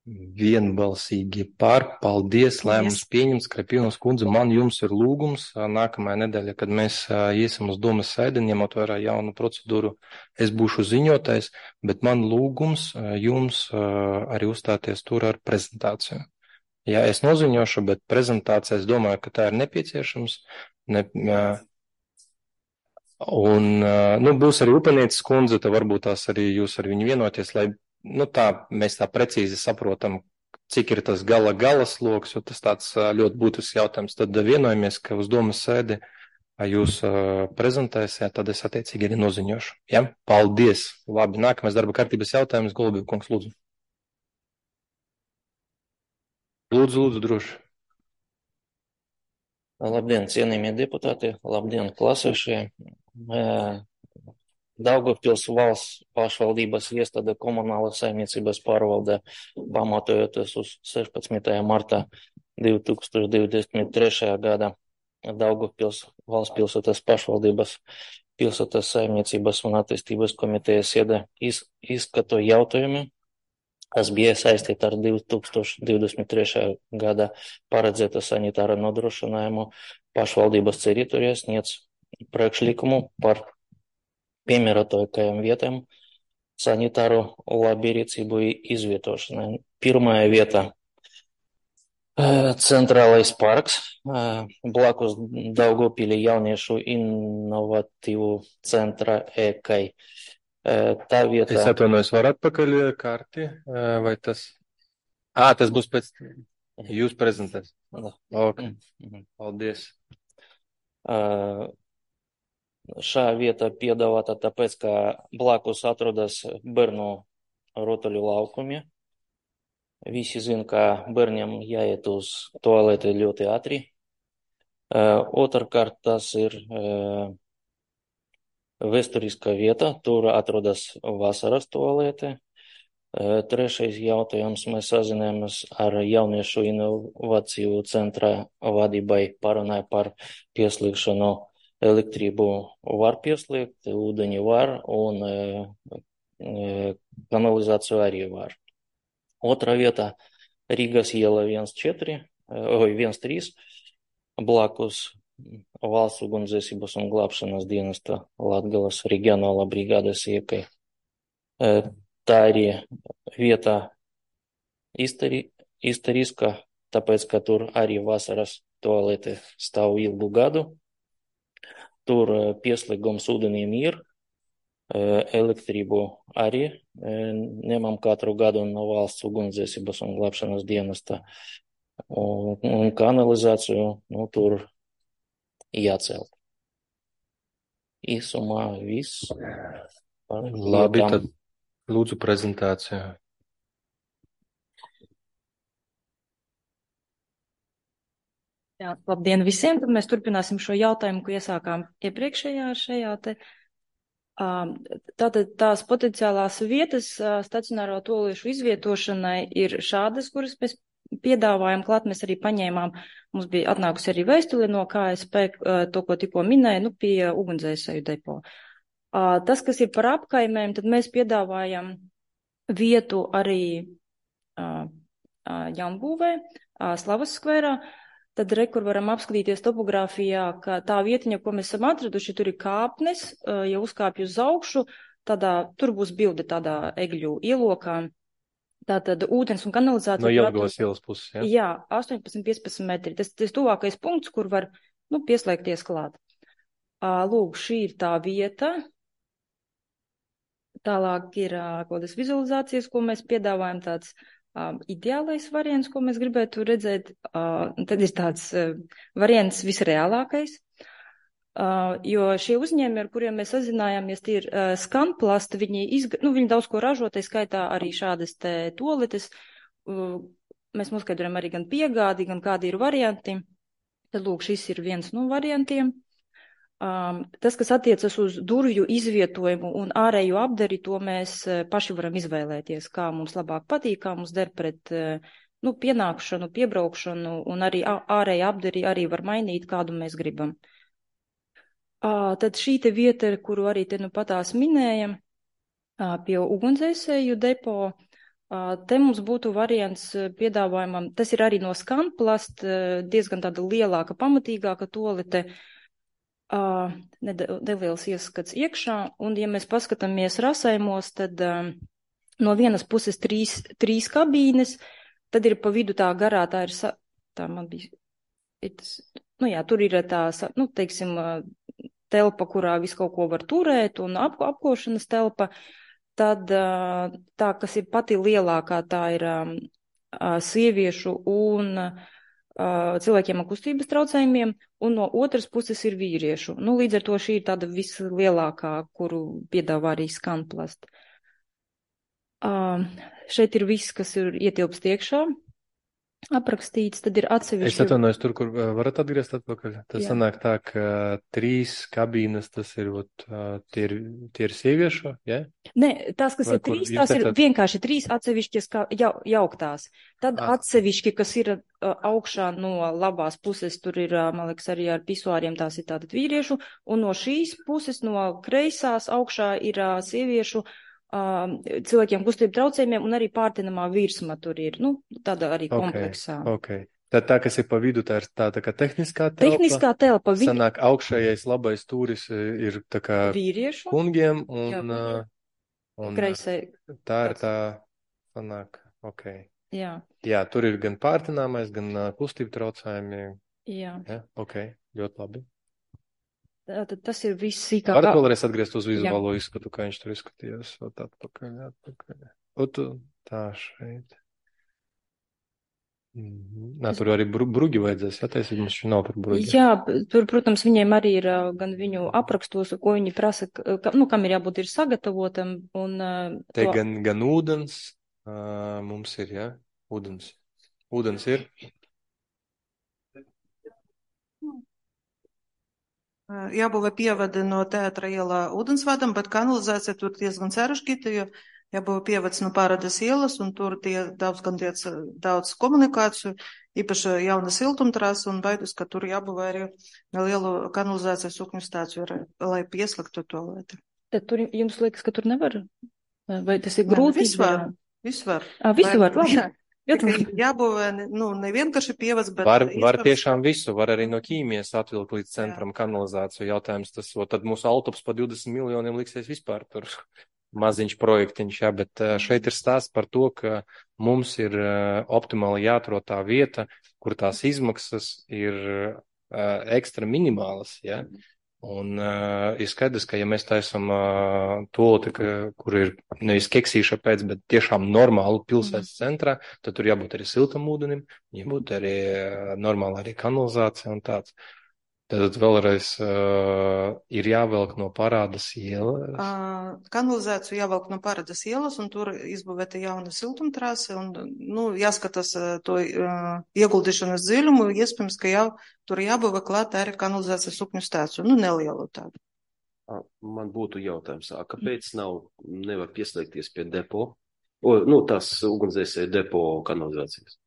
vienbalsīgi par. Paldies, lēmums pieņems. Krapīnas kundze, man jums ir lūgums. Nākamajā nedēļā, kad mēs iesim uz domas sēdi, ņemot vērā jaunu procedūru, es būšu ziņotājs, bet man lūgums jums arī uzstāties tur ar prezentāciju. Jā, es noziņošu, bet prezentācija, es domāju, ka tā ir nepieciešams. Būs arī Upenieces kundze, tad varbūt tās arī jūs ar viņu vienoties, lai mēs tā precīzi saprotam, cik ir tas gala sloks, jo tas tāds ļoti būtisks jautājums. Tad vienojamies, ka uz domas sēdi jūs prezentēsiet, tad es attiecīgi arī noziņošu. Ja? Paldies! Labi, nākamais darba kārtības jautājums, Golubīv kungs, lūdzu. Lūdzu, droši. Labdien, cienījamie deputāti, labdien, klasēšie. Daugavpils valsts pašvaldības iestāde komunālas saimniecības pārvaldē, pamatojoties uz 16. martā 2023. gada Daugavpils valsts pilsētas pašvaldības pilsētas saimniecības un attīstības komitejas sēdē izskato jautājumi, kas bija saistīti ar 2023. gada paredzēta sanitāra nodrošinājumu pašvaldības teritorijās, sniedz priekšlikumu par piemērotākajām vietām sanitāru labierīcību izvietošanai. Pirmā vieta Centrālais parks, blakus Daugavpilī jauniešu inovatīvu centra EKAI. Tā vieta. Es atvainojos, var atpakaļ karti, vai tas? Tas būs pēc jūs prezentēs. Okay. Paldies. Šā vieta piedāvāta tāpēc, ka blakus atrodas bērnu rotaļu laukumi. Visi zina, ka bērniem jāiet uz toaleti ļoti ātri. Otrkārt, tas ir vēsturiskā vieta, tur atrodas vasaras toalete. Trešais jautājums, mēs sazinājāmies ar jauniešu inovāciju centra vadībai, parunāja par pieslēgšanu. Elektrību var pieslēgt, ūdeņi var un kanalizāciju arī var. Otra vieta Rīgas iela 13, blakus valsts ugunsdzēsības un glābšanas dienesta Latgales reģionālā brigādes iekai. Tā arī vieta istoriska, tāpēc, ka tur arī vasaras toalete stāv ilgu gadu. Tur pieslēgums ūdenim ir, elektrību arī ņemam katru gadu no valsts ugunsdzēsības un glābšanas dienesta. Un kanalizāciju, tur jācelt. Īsumā viss. Labi, tad lūdzu prezentāciju. Jā, labdien visiem, tad mēs turpināsim šo jautājumu, ko iesākām iepriekšējā šajā te. Tātad tās potenciālās vietas stacionāro toaliešu izvietošanai ir šādas, kuras mēs piedāvājam klāt, mēs arī paņēmām, mums bija atnākusi arī vēstule no KSP, to, ko tikko minēja, pie ugunsdzēsēju depo. Tas, kas ir par apkaimēm, tad mēs piedāvājam vietu arī Jaunbūvē, Slavas skverā. Tad kur varam apskatīties topogrāfijā, ka tā vietiņa, ko mēs esam atraduši, tur ir kāpnes, ja uzkāpj uz augšu, tur būs bilde tādā egļu ielokā. Tātad ūdens un kanalizācija. No Jelgavas ielas puses, ja? Jā, 18-15 metri. Tas tuvākais punkts, kur var, pieslēgties klāt. Lūk, šī ir tā vieta. Tālāk ir kādas vizualizācijas, ko mēs piedāvājam, tāds ideālais variants, ko mēs gribētu redzēt, tad ir tāds variants visreālākais, jo šie uzņēmumi, ar kuriem mēs sazinājāmies, tie ir Skanplast, viņi daudz ko ražo, tai skaitā arī šādas te toaletes, mēs noskaidrojam arī gan piegādi, gan kādi ir varianti, tad lūk, šis ir viens no variantiem. Tas, kas attiecas uz durvju izvietojumu un ārējo apdari, to mēs paši varam izvēlēties, kā mums labāk patīk, kā mums der pret pienākšanu, piebraukšanu, un arī ārēja apdari arī var mainīt, kādu mēs gribam. Tad šī te vieta, kuru arī te patās minējam, pie ugunsdzēsēju depo, Te mums būtu variants piedāvājumam, tas ir arī no Scanplast, diezgan tāda lielāka, pamatīgāka tolete, neliels ieskats iekšā, un ja mēs paskatāmies rasējumos, tad no vienas puses trīs kabīnes, tad ir pa vidu tā garā, tā man bija, tur ir tā, teiksim, telpa, kurā visu kaut ko var turēt, un apkošanas telpa. Tad tā, kas ir pati lielākā, tā ir sieviešu un cilvēkiem ar kustības traucējumiem, un no otras puses ir vīriešu. Līdz ar to šī ir tāda vislielākā, kuru piedāvā arī Scanplast. Šeit ir viss, kas ir ietilpst iekšā, aprakstīts, tad ir atsevišķi. Es atvainojos tur, kur varat atgriezt atpakaļ. Tas sanāk tā, ka 3 kabīnes, tas ir, tie ir sieviešu, ja? Nē, tās, kas ir 3, tās ir vienkārši 3 atsevišķas jauktās. Tad atsevišķi, kas ir augšā no labās puses, tur ir, man liekas, arī ar pisuāriem, tās ir tātad vīriešu, un no šīs puses, no kreisās augšā ir sieviešu, cilvēkiem kustību traucējumiem, un arī pārtinamā virsma tur ir, tāda arī kompleksā. Okay. Tad tā, kas ir pa vidu, tā ir tā kā tehniskā telpa. Tehniskā telpa. Sanāk, augšējais labais stūris ir tā kā vīriešu kungiem, un kreisai. Tā ir tā, sanāk, Jā, tur ir gan pārtināmais, gan kustību traucējumi. Jā. Ļoti labi. Tad tas ir viss sīkāk. Varat vēlreiz atgriezt uz vizuālo izskatu, kā viņš tur izskatījās. Atpakaļ. Tā šeit. Tur arī brugi vajadzēs, jātaisīt, mums šī nav par brugi. Jā, tur, protams, viņiem arī ir gan viņu aprakstos, ko viņi prasa, kam ir jābūt ir sagatavotam. Te gan ūdens mums ir, jā? Ūdens ir? Jābūvē pievada no Teātra ielā ūdensvadam, bet kanalizācija tur diezgan sarežģīta, jo jābūvē pievads no Pārādas ielas, un tur daudz komunikāciju, īpaši jauna siltumtrasa, un baidus, ka tur jābūvē arī lielu kanalizācijas sukņu stāciju, lai pieslēgtu tolēti. Tad tur jums liekas, ka tur nevar? Vai tas ir grūti? Viss var. Visu var, labi. Jābūvē, nevienkārši pievads, bet... Var tiešām visu, var arī no ķīmijas atvilkt līdz centram kanalizāciju jautājums, tad mūsu autops pa 20 miljoniem liksies vispār tur maziņš projektiņš, bet šeit ir stāsts par to, ka mums ir optimāli jāatrod tā vieta, kur tās izmaksas ir ekstra minimālas, Un ir skaidrs, ka ja mēs taisam toloti, kur ir nevis keksīša pēc, bet tiešām normālu pilsētas centrā, tad tur jābūt arī siltam ūdenim, jābūt arī normāla arī kanalizācija un tāds. Tad vēlreiz ir jāvelk no Pārādas ielas. Kanalizāciju jāvelk no Pārādas ielas, un tur izbūvēta jauna siltumtrāse, un jāskatās to ieguldīšanas dziļumu, iespējams, ka tur jābūvē klāt arī kanalizācijas sukņu stāciju, nelielu tādu. Man būtu jautājums, kāpēc nevar pieslēgties pie depo, tās ugunsdzēsēju depo kanalizācijas?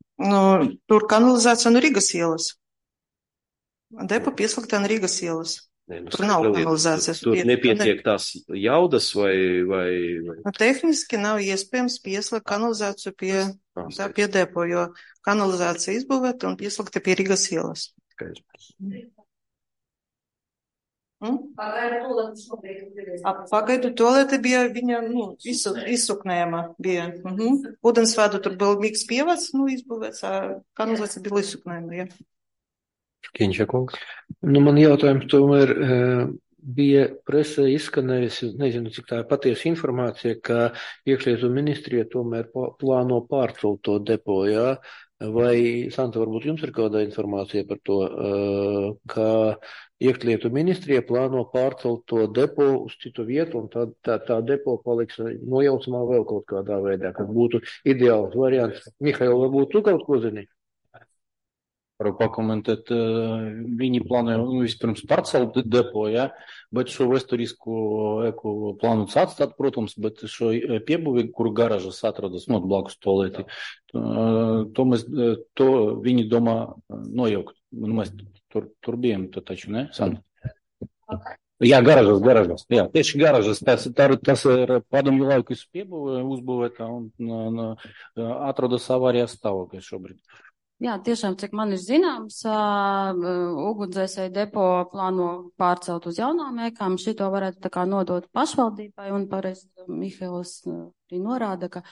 Tur kanalizācija no Rīgas ielas. Depo pieslēgtā no Rīgas ielas. Tur nav kanalizācijas. Tur nepietiek tās jaudas vai... Tehniski nav iespējams pieslēgt kanalizāciju pie depo, jo kanalizācija izbūvēta un pieslēgta pie Rīgas ielas. Pagaidu tolete bija viņa, izsuknējama bija. Ūdensvadu tur bija miks pievads, izbūvēts, kanalizācija bija izsuknējama, jā. Škiņša kungs. Man jautājums tomēr bija presē izskanējusi, nezinu, cik tā ir patiesa informācija, ka iekšlietu ministrija tomēr plāno pārcelt to depo, jā? Vai, Santa, varbūt jums ir kāda informācija par to, ka iekšlietu ministrija plāno pārcelt to depo uz citu vietu, un tā depo paliks nojaucamā vēl kaut kādā veidā, kas būtu ideāls variants. Mihail, varbūt tu kaut ko zini? Varu pakomentēt, viņi plānoja vispirms pārcelt depo, bet šo vēsturisku eku plānots atstāt, protams, bet šo piebūvi, kur garažas atrodas blakus tolēti, to viņi domā nojaukt. Mēs tur bijām, taču, ne, Sandra? Jā, garažas. Jā, tieši garažas. Tas ir padomju laikus uzbūvētā un atrodas avārijas stāvoklī šobrīd. Jā, tiešām, cik man ir zināms, ugunsdzēsēju depo plāno pārcelt uz jaunām ēkām. Šito varētu tā kā nodot pašvaldībai, un pareizi Mihails arī norāda, ka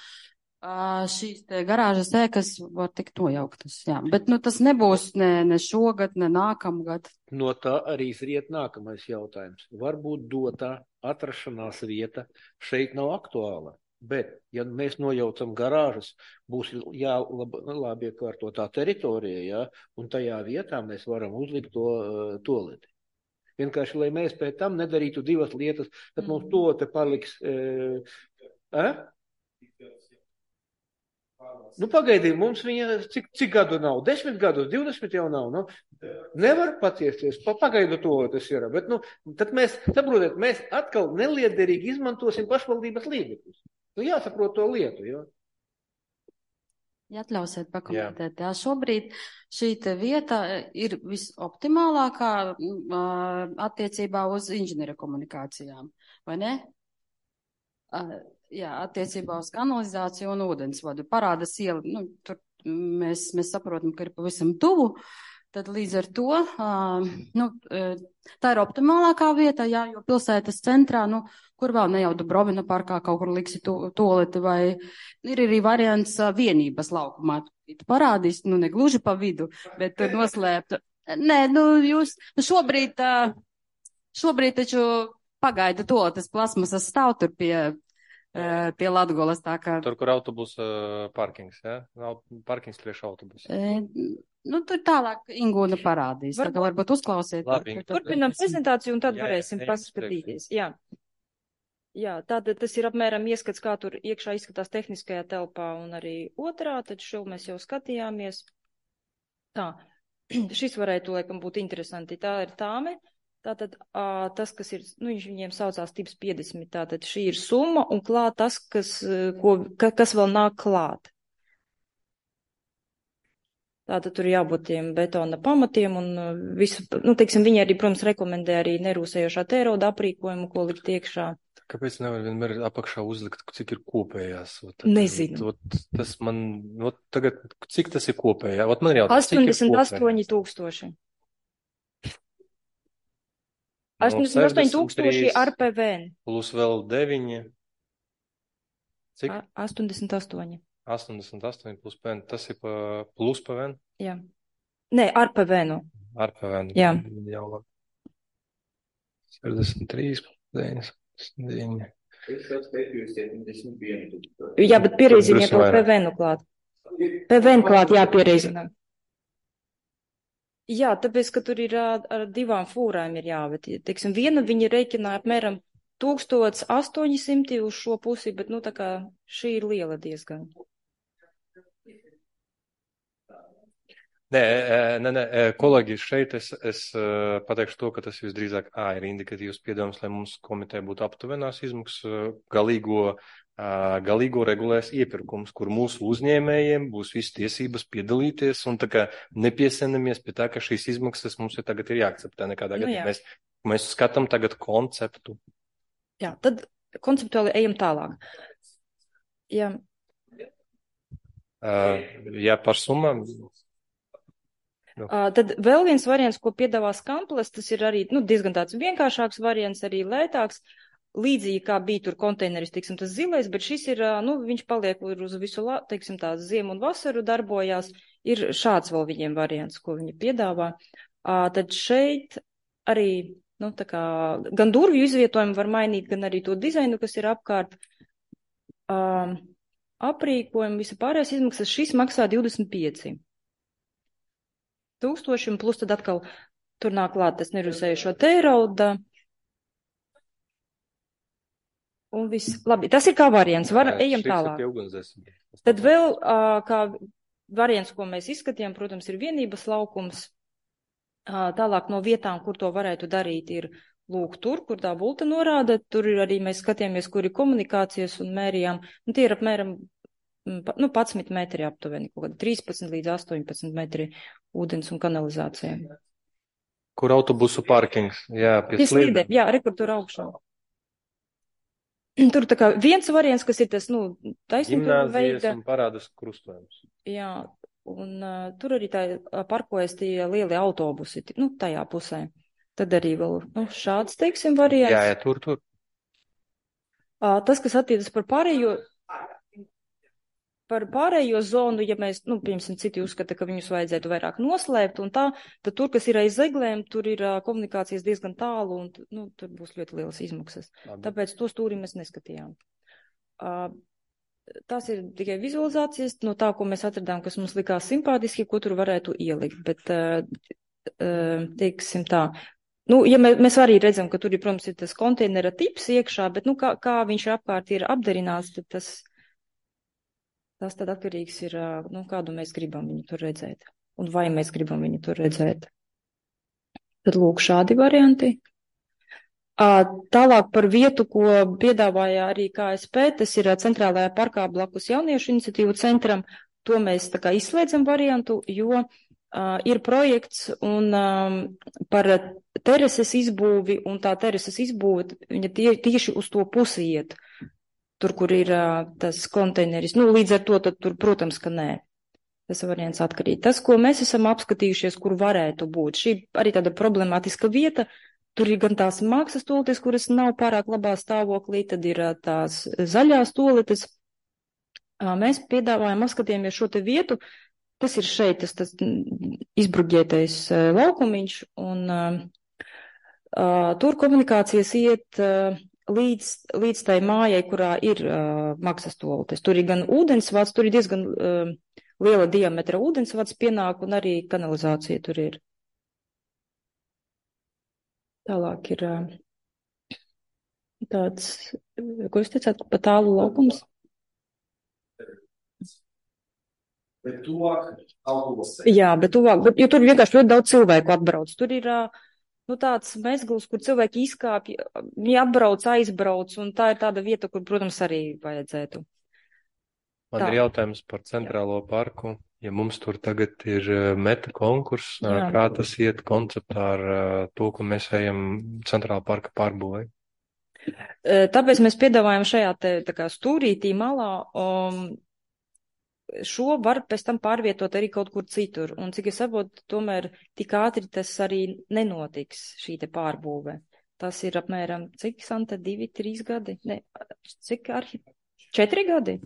šīs te garāžas ēkas var tikt nojauktas. Jā. Bet tas nebūs ne šogad, ne nākamgad. No tā arī izriet nākamais jautājums. Varbūt dotā atrašanās vieta šeit nav aktuāla. Bet, ja mēs nojaucam garāžas, būs labi iekārtotā teritorija, ja, un tajā vietā mēs varam uzlikt to toleti. Vienkārši, lai mēs pēc tam nedarītu divas lietas, tad mums tolete paliks. Pagaidīt, mums viņa cik gadu nav? 10 gadus, 20 jau nav. Nevar paciesties, pagaidu toletes ir. Bet, tad mēs, saprotiet, mēs atkal neliederīgi izmantosim pašvaldības līdzekļus. Jāsaprot to lietu, jo. Ja atļausiet pakomentēt, jā, šobrīd šī te vieta ir visoptimālākā attiecībā uz inženieru komunikācijām, vai ne? Jā, attiecībā uz kanalizāciju un ūdensvadu. Parādas iela, tur mēs saprotam, ka ir pavisam tuvu. Tad līdz ar to, tā ir optimālākā vieta, jā, jo pilsētas centrā, kur vēl ne jau Dubrovina parkā kaut kur liksi toleti, vai ir arī variants vienības laukumā. Tu parādīs, ne gluži pa vidu, bet tur noslēpta. Nē, jūs šobrīd taču pagaida toletes plasmasas stāv tur pie Latgolas, tā kā. Tur, kur autobusa parkings, jā? Parkings priekš autobusa. Tur tālāk Ingūna parādīs. Tā kā varbūt uzklausiet. Turpinām prezentāciju un tad varēsim paskatīties. Jā, tātad tas ir apmēram ieskats, kā tur iekšā izskatās tehniskajā telpā un arī otrā, tad šo mēs jau skatījāmies. Tā, šis varētu, laikam, būt interesanti. Tā ir tāme. Tātad tas, kas ir, viņiem saucās tips 50, tātad šī ir summa un klāt tas, kas vēl nāk klāt. Tātad tur jābūt tiem betona pamatiem un visu, teiksim, viņi arī, protams, rekomendē arī nerūsējošā tērauda aprīkojumu, ko likt iekšā. Kāpēc nevar vienmēr apakšā uzlikt, cik ir kopējās? Nezinu. Tas man, tagad, cik tas ir kopējā? Man ir jautājums, 88,000. 88,000 ar PVN. Plus vēl 9. Cik? 88. 88 plus PVN. Tas ir plus PVN? Jā. Nē, ar PVN. Ar PVN. Jā. Jau labi. 63, 9. Jā, bet pierēziniet to PVN klāt. PVN klāt jāpierēzināt. Jā, tāpēc, ka tur ir ar divām fūrām ir jāvet. Teiksim, viena viņa rēķināja apmēram 1800 uz šo pusi, bet, tā kā šī ir liela diezgan. Nē, kolēģi, šeit es pateikšu to, ka tas visdrīzāk ir indikatīvs piedāvājums, lai mums komiteja būtu aptuvenās izmaksas, galīgo regulēs iepirkums, kur mūsu uzņēmējiem būs visas tiesības piedalīties un tā kā nepiesenamies pie tā, ka šīs izmaksas mums tagad ir jāakceptē nekādā gadījumā. Mēs skatām tagad konceptu. Jā, tad konceptuāli ejam tālāk. Jā. Jā, par summām. Tad vēl viens variants, ko piedāvā Skamples, tas ir arī diezgan tāds vienkāršāks variants, arī lētāks, līdzīgi kā bija tur konteineris, teiksim, tas zilais, bet šis ir, viņš paliek uz visu, teiksim, tā ziemu un vasaru darbojās, ir šāds vēl viņiem variants, ko viņi piedāvā. Tad šeit arī, tā kā, gan durvju izvietojumu var mainīt, gan arī to dizainu, kas ir apkārt, aprīkojumu, visa pārējās izmaksas, šis maksā 25 000, un plus tad atkal tur nāk klāt tas nerūsējušo tērauda. Un viss. Labi, tas ir kā variants. Ejam tālāk. Tad vēl kā variants, ko mēs izskatījām, protams, ir vienības laukums. Tālāk no vietām, kur to varētu darīt, ir lūk tur, kur tā bulta norāda. Tur ir arī mēs skatījāmies, kur ir komunikācijas un mērījām. Un tie ir apmēram 11 metri aptuveni, kaut kādi 13 līdz 18 metri ūdens un kanalizācijai. Kur autobusu parkings? Jā, pie slīdēm. Jā, rekur tur augšā. Tur tā kā viens variants, kas ir tas, taisnība Gimnāzijas veida. un parādas krustojums. Jā, un tur arī tā parkojas tie lielie autobusi, tajā pusē. Tad arī vēl, šāds, teiksim, variants. Jā, tur. Tas, kas attiecas par pārējo zonu, ja mēs, piemēram, citi uzskata, ka viņus vajadzētu vairāk noslēpt un tā, tad tur, kas ir aiz zeglēm, tur ir komunikācijas diezgan tālu un, tur būs ļoti lielas izmaksas. Tāpēc to stūri mēs neskatījām. Tās ir tikai vizualizācijas no tā, ko mēs atradām, kas mums likās simpātiski, ko tur varētu ielikt, bet, teiksim tā, ja mēs arī redzam, ka tur ir, protams, ir tas konteinera tips iekšā, bet, kā viņš apkārt ir apdarināts, tad tas tad atkarīgs ir, kādu mēs gribam viņu tur redzēt. Un vai mēs gribam viņu tur redzēt. Tad lūk šādi varianti. Tālāk par vietu, ko piedāvāja arī KSP, tas ir centrālajā parkā blakus jauniešu iniciatīvu centram. To mēs tā kā izslēdzam variantu, jo ir projekts un par terases izbūvi, un tā terases izbūve, viņa tieši uz to pusi iet. Tur, kur ir tas konteineris. Līdz ar to, tad tur, protams, ka nē. Tas variants atkarīt. Tas, ko mēs esam apskatījušies, kur varētu būt. Šī arī tāda problemātiska vieta. Tur ir gan tās mākslas toaletes, kuras nav pārāk labā stāvoklī, tad ir tās zaļās toaletes. Mēs piedāvājam, apskatījāmies šo te vietu. Tas ir šeit, tas izbruģētais laukumiņš. Un tur komunikācijas iet līdz tai mājai, kurā ir maksas toaletes. Tur ir gan ūdensvads, tur ir diezgan liela diametra ūdensvads pienāk un arī kanalizācija tur ir. Tālāk ir tāds, ko jūs teicāt, pa tālu laukums? Bet tuvāk autobusē. Jā, bet tuvāk, jo tur vienkārši ļoti daudz cilvēku atbrauc. Tur ir tāds mezgls, kur cilvēki izkāpj, viņi atbrauc, aizbrauc, un tā ir tāda vieta, kur, protams, arī vajadzētu. Man ir jautājums par centrālo parku. Ja mums tur tagad ir meta konkurss, kā tas iet konceptā ar to, ka mēs ejam centrāla parka pārbūvē? Tāpēc mēs piedāvājam šajā tā kā stūrītī malā, šo var pēc tam pārvietot arī kaut kur citur. Un cik es saprotu, tomēr tik ātri tas arī nenotiks, šī te pārbūve. Tas ir apmēram, cik, Santa, 2-3 gadi? Ne, cik 4 gadi?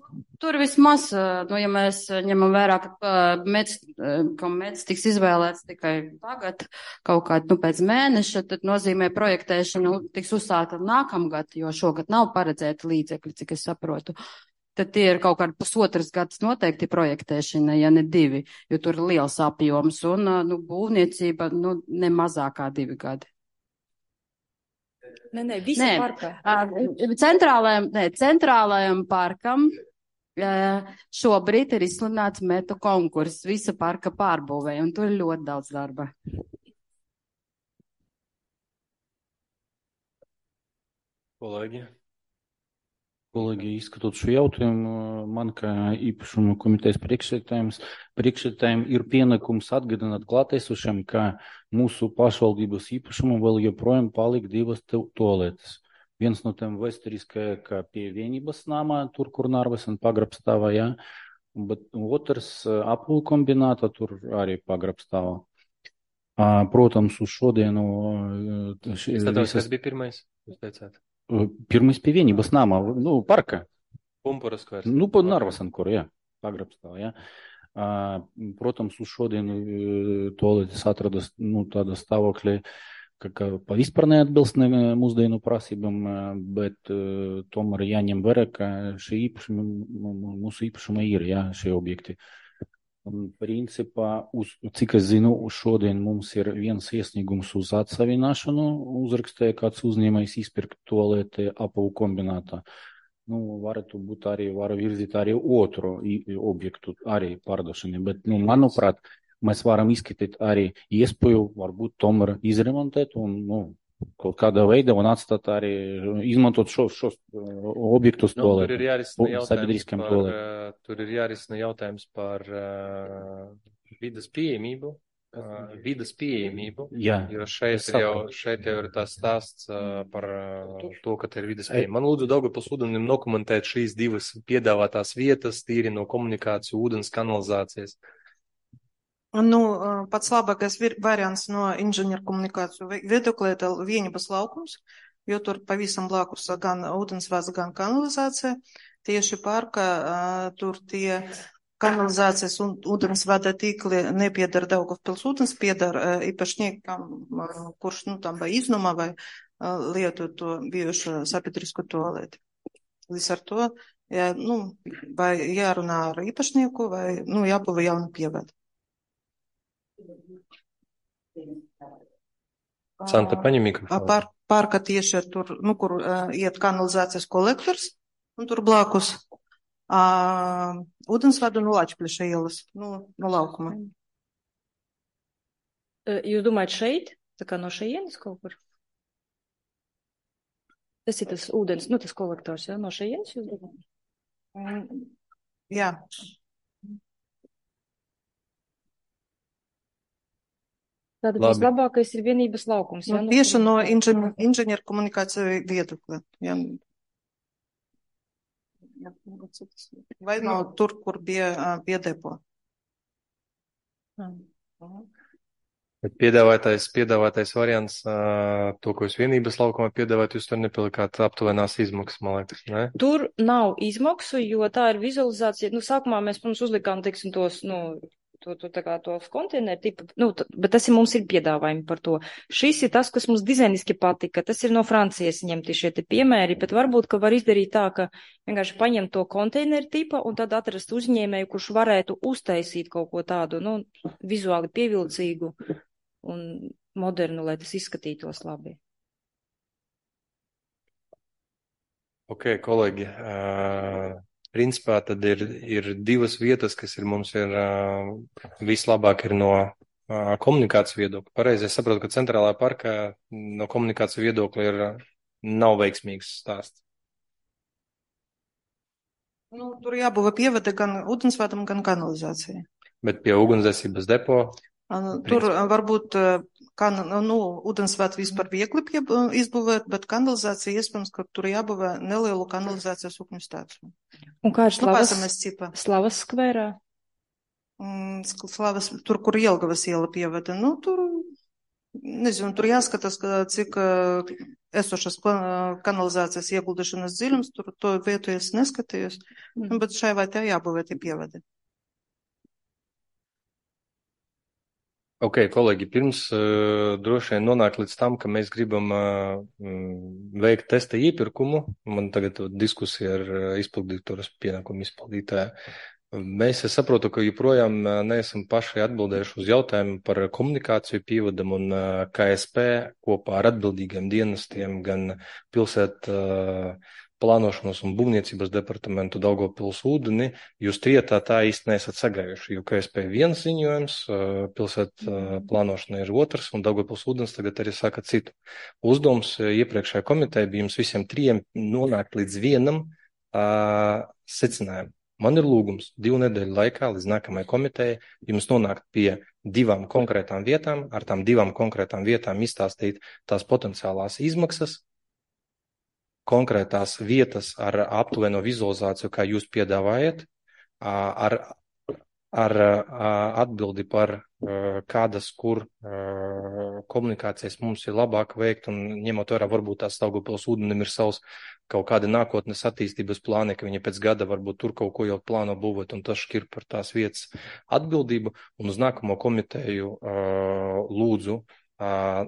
Tur vismaz, ja mēs ņemam vērā, ka MEDS tiks izvēlēts tikai tagad, kaut kā pēc mēneša, tad nozīmē projektēšana tiks uzsākta nākamgad, jo šogad nav paredzēta līdzekļi, cik es saprotu. Tad tie ir kaut kādi 1,5 gads noteikti projektēšana, ja ne 2, jo tur ir liels apjoms un būvniecība ne mazākā 2 gadi. Nē, visa parka. Centrālajam parkam šobrīd ir izsludināts metu konkurss visa parka pārbūvē, un tur ir ļoti daudz darba. Kolēģi, izskatot šo jautājumu, man kā īpašuma komitejas priekšsēdētājiem ir pienākums atgādināt klātesošiem, ka mūsu pašvaldības īpašumā vēl joprojām palika 2 toaletes. Viens no tiem vēsturiskajā, kā pie Vienības namā, tur, kur Narvesen pagrabstāvā, jā, bet otrs apulu kombināta, tur arī pagrabstāvā. Protams, uz šodienu... Kas bija pirmais, jūs teicāt? Pirmais pie Vienības nama, parka. Pumpuras kārs. Pa Narvesen, kur, jā, pagrabstāv, jā. Protams, uz šodienu toaletes atradas, tāda stāvokļa, ka pa vispār neatbilst mūsdienu prasībām, bet tomēr jāņem vērā, ka mūsu īpašuma ir, jā, šie objekti. Un, principā, cik es zinu, šodien mums ir viens iesniegums uz atsavināšanu, uzrakstīja kāds uzņēmējs izpirkt toaleti apavu kombinātā. Varētu būt arī, var virzīt arī otru objektu, arī pārdošanu, bet, manuprāt, mēs varam izskatīt arī iespēju, varbūt tomēr izremontēt un, kaut kādā veidā un atstāt arī, izmantot šos objektus sabiedriskajiem toaletiem. Tur ir jārisina jautājums par vidas pieejamību vidas pieejamību, Jā, jo šeit jau ir tās stāsts par to, ka te ir vidas pieejamība. Man lūdzu Daugavpils ūdenim dokumentēt šīs divas piedāvātās vietas, tīri no komunikāciju, ūdens kanalizācijas. Nu, pats labākais variants no inženieru komunikāciju viedokļa ir Vienības laukums, jo tur pavisam blakus gan ūdensvads, gan kanalizācija. Tieši parka tur tie kanalizācijas un ūdensvada tīkli nepiedara Daugavpils ūdens, piedara īpašniekam, kurš, tam vai iznumā vai lietu to bijušo sabiedrisku tualeti. Līdz ar to, vai jārunā ar īpašnieku, vai, jābūvē jauna pievada. Santa, paņem mikrofonu. Parka tieši ir tur, kur iet kanalizācijas kolektors, un tur blakus ūdensvadu no Lačpļeša ielas, no laukuma. Jūs domājat šeit? Tā kā no šejienes kaut kur? Tas ir tas ūdens, tas kolektors, ja? No šejienes jūs domājat? Jā. Tātad vislabākais ir Vienības laukums. Tieši no inženieru komunikāciju viedokļa. Vai no tur, kur bija depo. Bet piedāvātais variants, to, ko jūs Vienības laukumā piedāvājat, jūs tur nepielikāt aptuvenās izmaksas, man liekas, ne? Tur nav izmaksu, jo tā ir vizualizācija. Sākumā mēs, protams, uzlikām, teiksim, tos, tos konteineru tipu, bet tas mums ir piedāvājumi par to. Šis ir tas, kas mums dizainiski patika, tas ir no Francijas ņemti šie te piemēri, bet varbūt, ka var izdarīt tā, ka vienkārši paņemt to konteineru tipa un tad atrast uzņēmēju, kurš varētu uztaisīt kaut ko tādu, vizuāli pievilcīgu un modernu, lai tas izskatītos labi. Ok, kolēģi, principā tad ir divas vietas, kas mums ir vislabāk ir no komunikāciju viedokļa. Pareizi, es saprotu, ka centrālā parkā no komunikāciju viedokļa nav veiksmīgs stāsts. Tur jābūvē pievada gan ūdensvadam, gan kanalizācijai. Bet pie ugunsdzēsības depo? Tur varbūt ūdensvadu vispār viegli izbūvēt, bet kanalizācija iespējams, ka tur jābūvē nelielu kanalizācijas upņu stāciju. Un kā ir Slavas skverā? Slavas, tur, kur Jelgavas iela pievada. Tur, nezinu, tur jāskatās, cik esošas kanalizācijas ieguldīšanas dziļums, tur to vietu es neskatījos, bet šai vai tā jābūvē tie pievadi. Ok, kolēģi, pirms droši vien nonāk līdz tam, ka mēs gribam veikt testa iepirkumu, man tagad diskusija ar izpildītājs pienākumu izpildītāju. Es saprotu, ka joprojām neesam paši atbildējuši uz jautājumu par komunikāciju pievadam un KSP kopā ar atbildīgiem dienestiem, gan pilsētu plānošanas un būvniecības departamentu Daugavpils ūdeni, jūs trietā tā īsti neesat sagājuši, jo KSP viens ziņojums, pilsētu plānošana ir otrs, un Daugavpils ūdens tagad arī saka citu. Uzdevums iepriekšējā komiteja bija jums visiem trijiem nonākt līdz vienam secinājumam. Man ir lūgums 2 nedēļu laikā līdz nākamajai komitejai jums nonākt pie 2 konkrētām vietām, ar tām 2 konkrētām vietām izstāstīt tās potenciālās izmaksas, konkrētās vietas ar aptuveno vizualizāciju, kā jūs piedāvājat, ar atbildi par kādas, kur komunikācijas mums ir labāk veikt, un ņemot vērā, varbūt tās Daugavpils ūdenim ir savs kaut kādi nākotnes attīstības plāni, ka viņi pēc gada varbūt tur kaut ko jau plāno būvot, un tas šķir par tās vietas atbildību, un uz nākamo komiteju lūdzu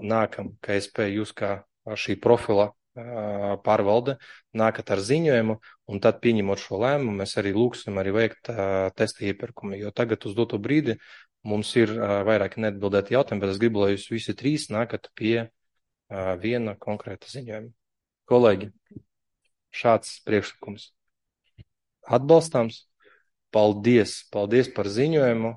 nākam KSP jūs kā šī profila pārvalde nākat ar ziņojumu, un tad pieņemot šo lēmumu, mēs arī lūksim arī veikt testa iepirkumu, jo tagad uz doto brīdi mums ir vairāk neatbildēti jautājumi, bet es gribu, lai jūs visi 3 nākat pie viena konkrēta ziņojuma. Kolēģi, šāds priekšlikums atbalstāms. Paldies par ziņojumu.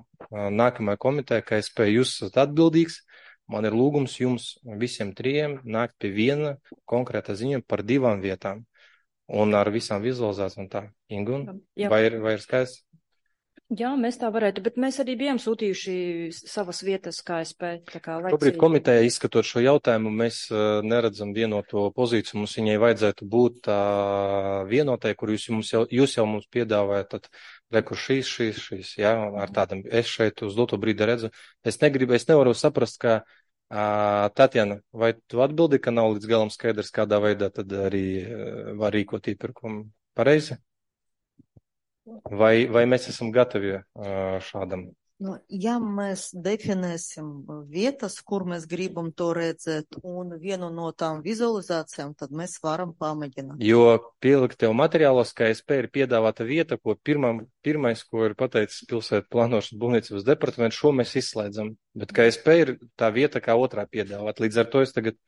Nākamajā komitejā, kā es spēju, jūs esat atbildīgs. Man ir lūgums jums visiem 3 nākt pie viena konkrēta ziņojuma par 2 vietām un ar visām vizualizācijām un tā. Ingun, vai ir skaidrs? Jā, mēs tā varētu, bet mēs arī bijām sūtījuši savas vietas KSP. Šobrīd komitejā izskatot šo jautājumu, mēs neredzam vienoto pozīciju. Mums viņai vajadzētu būt vienotai, kur jūs jau mums piedāvājat, tad rekur šīs, jā, ar tādam, es šeit uz doto brīdi redzu. Es nevaru saprast, ka Tatjana, vai tu atbildi, ka nav līdz galam skaidrs, kādā veidā tad arī var rīkot iepirkumu pareizi? Vai mēs esam gatavi šādam? Nu, ja mēs definēsim vietas, kur mēs gribam to redzēt, un vienu no tām vizualizācijām, tad mēs varam pamēģināt. Jo pieliktev materiālos, ka KSP ir piedāvāta vieta, ko pirmais, ko ir pateicis pilsētu plānošanas būvniecības departaments, šo mēs izslēdzam. Bet KSP ir tā vieta, kā otrā piedāvāt. Līdz ar to es tagad,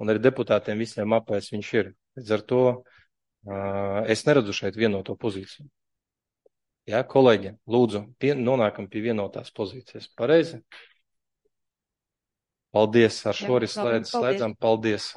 un arī deputātiem visiem apēs viņš ir. Līdz ar to es neredzu šeit vienoto pozīciju. Jā, kolēģi, lūdzu, nonākam pie vienotās pozīcijas. Pareizi? Paldies, ar šo arī slēdzam. Paldies.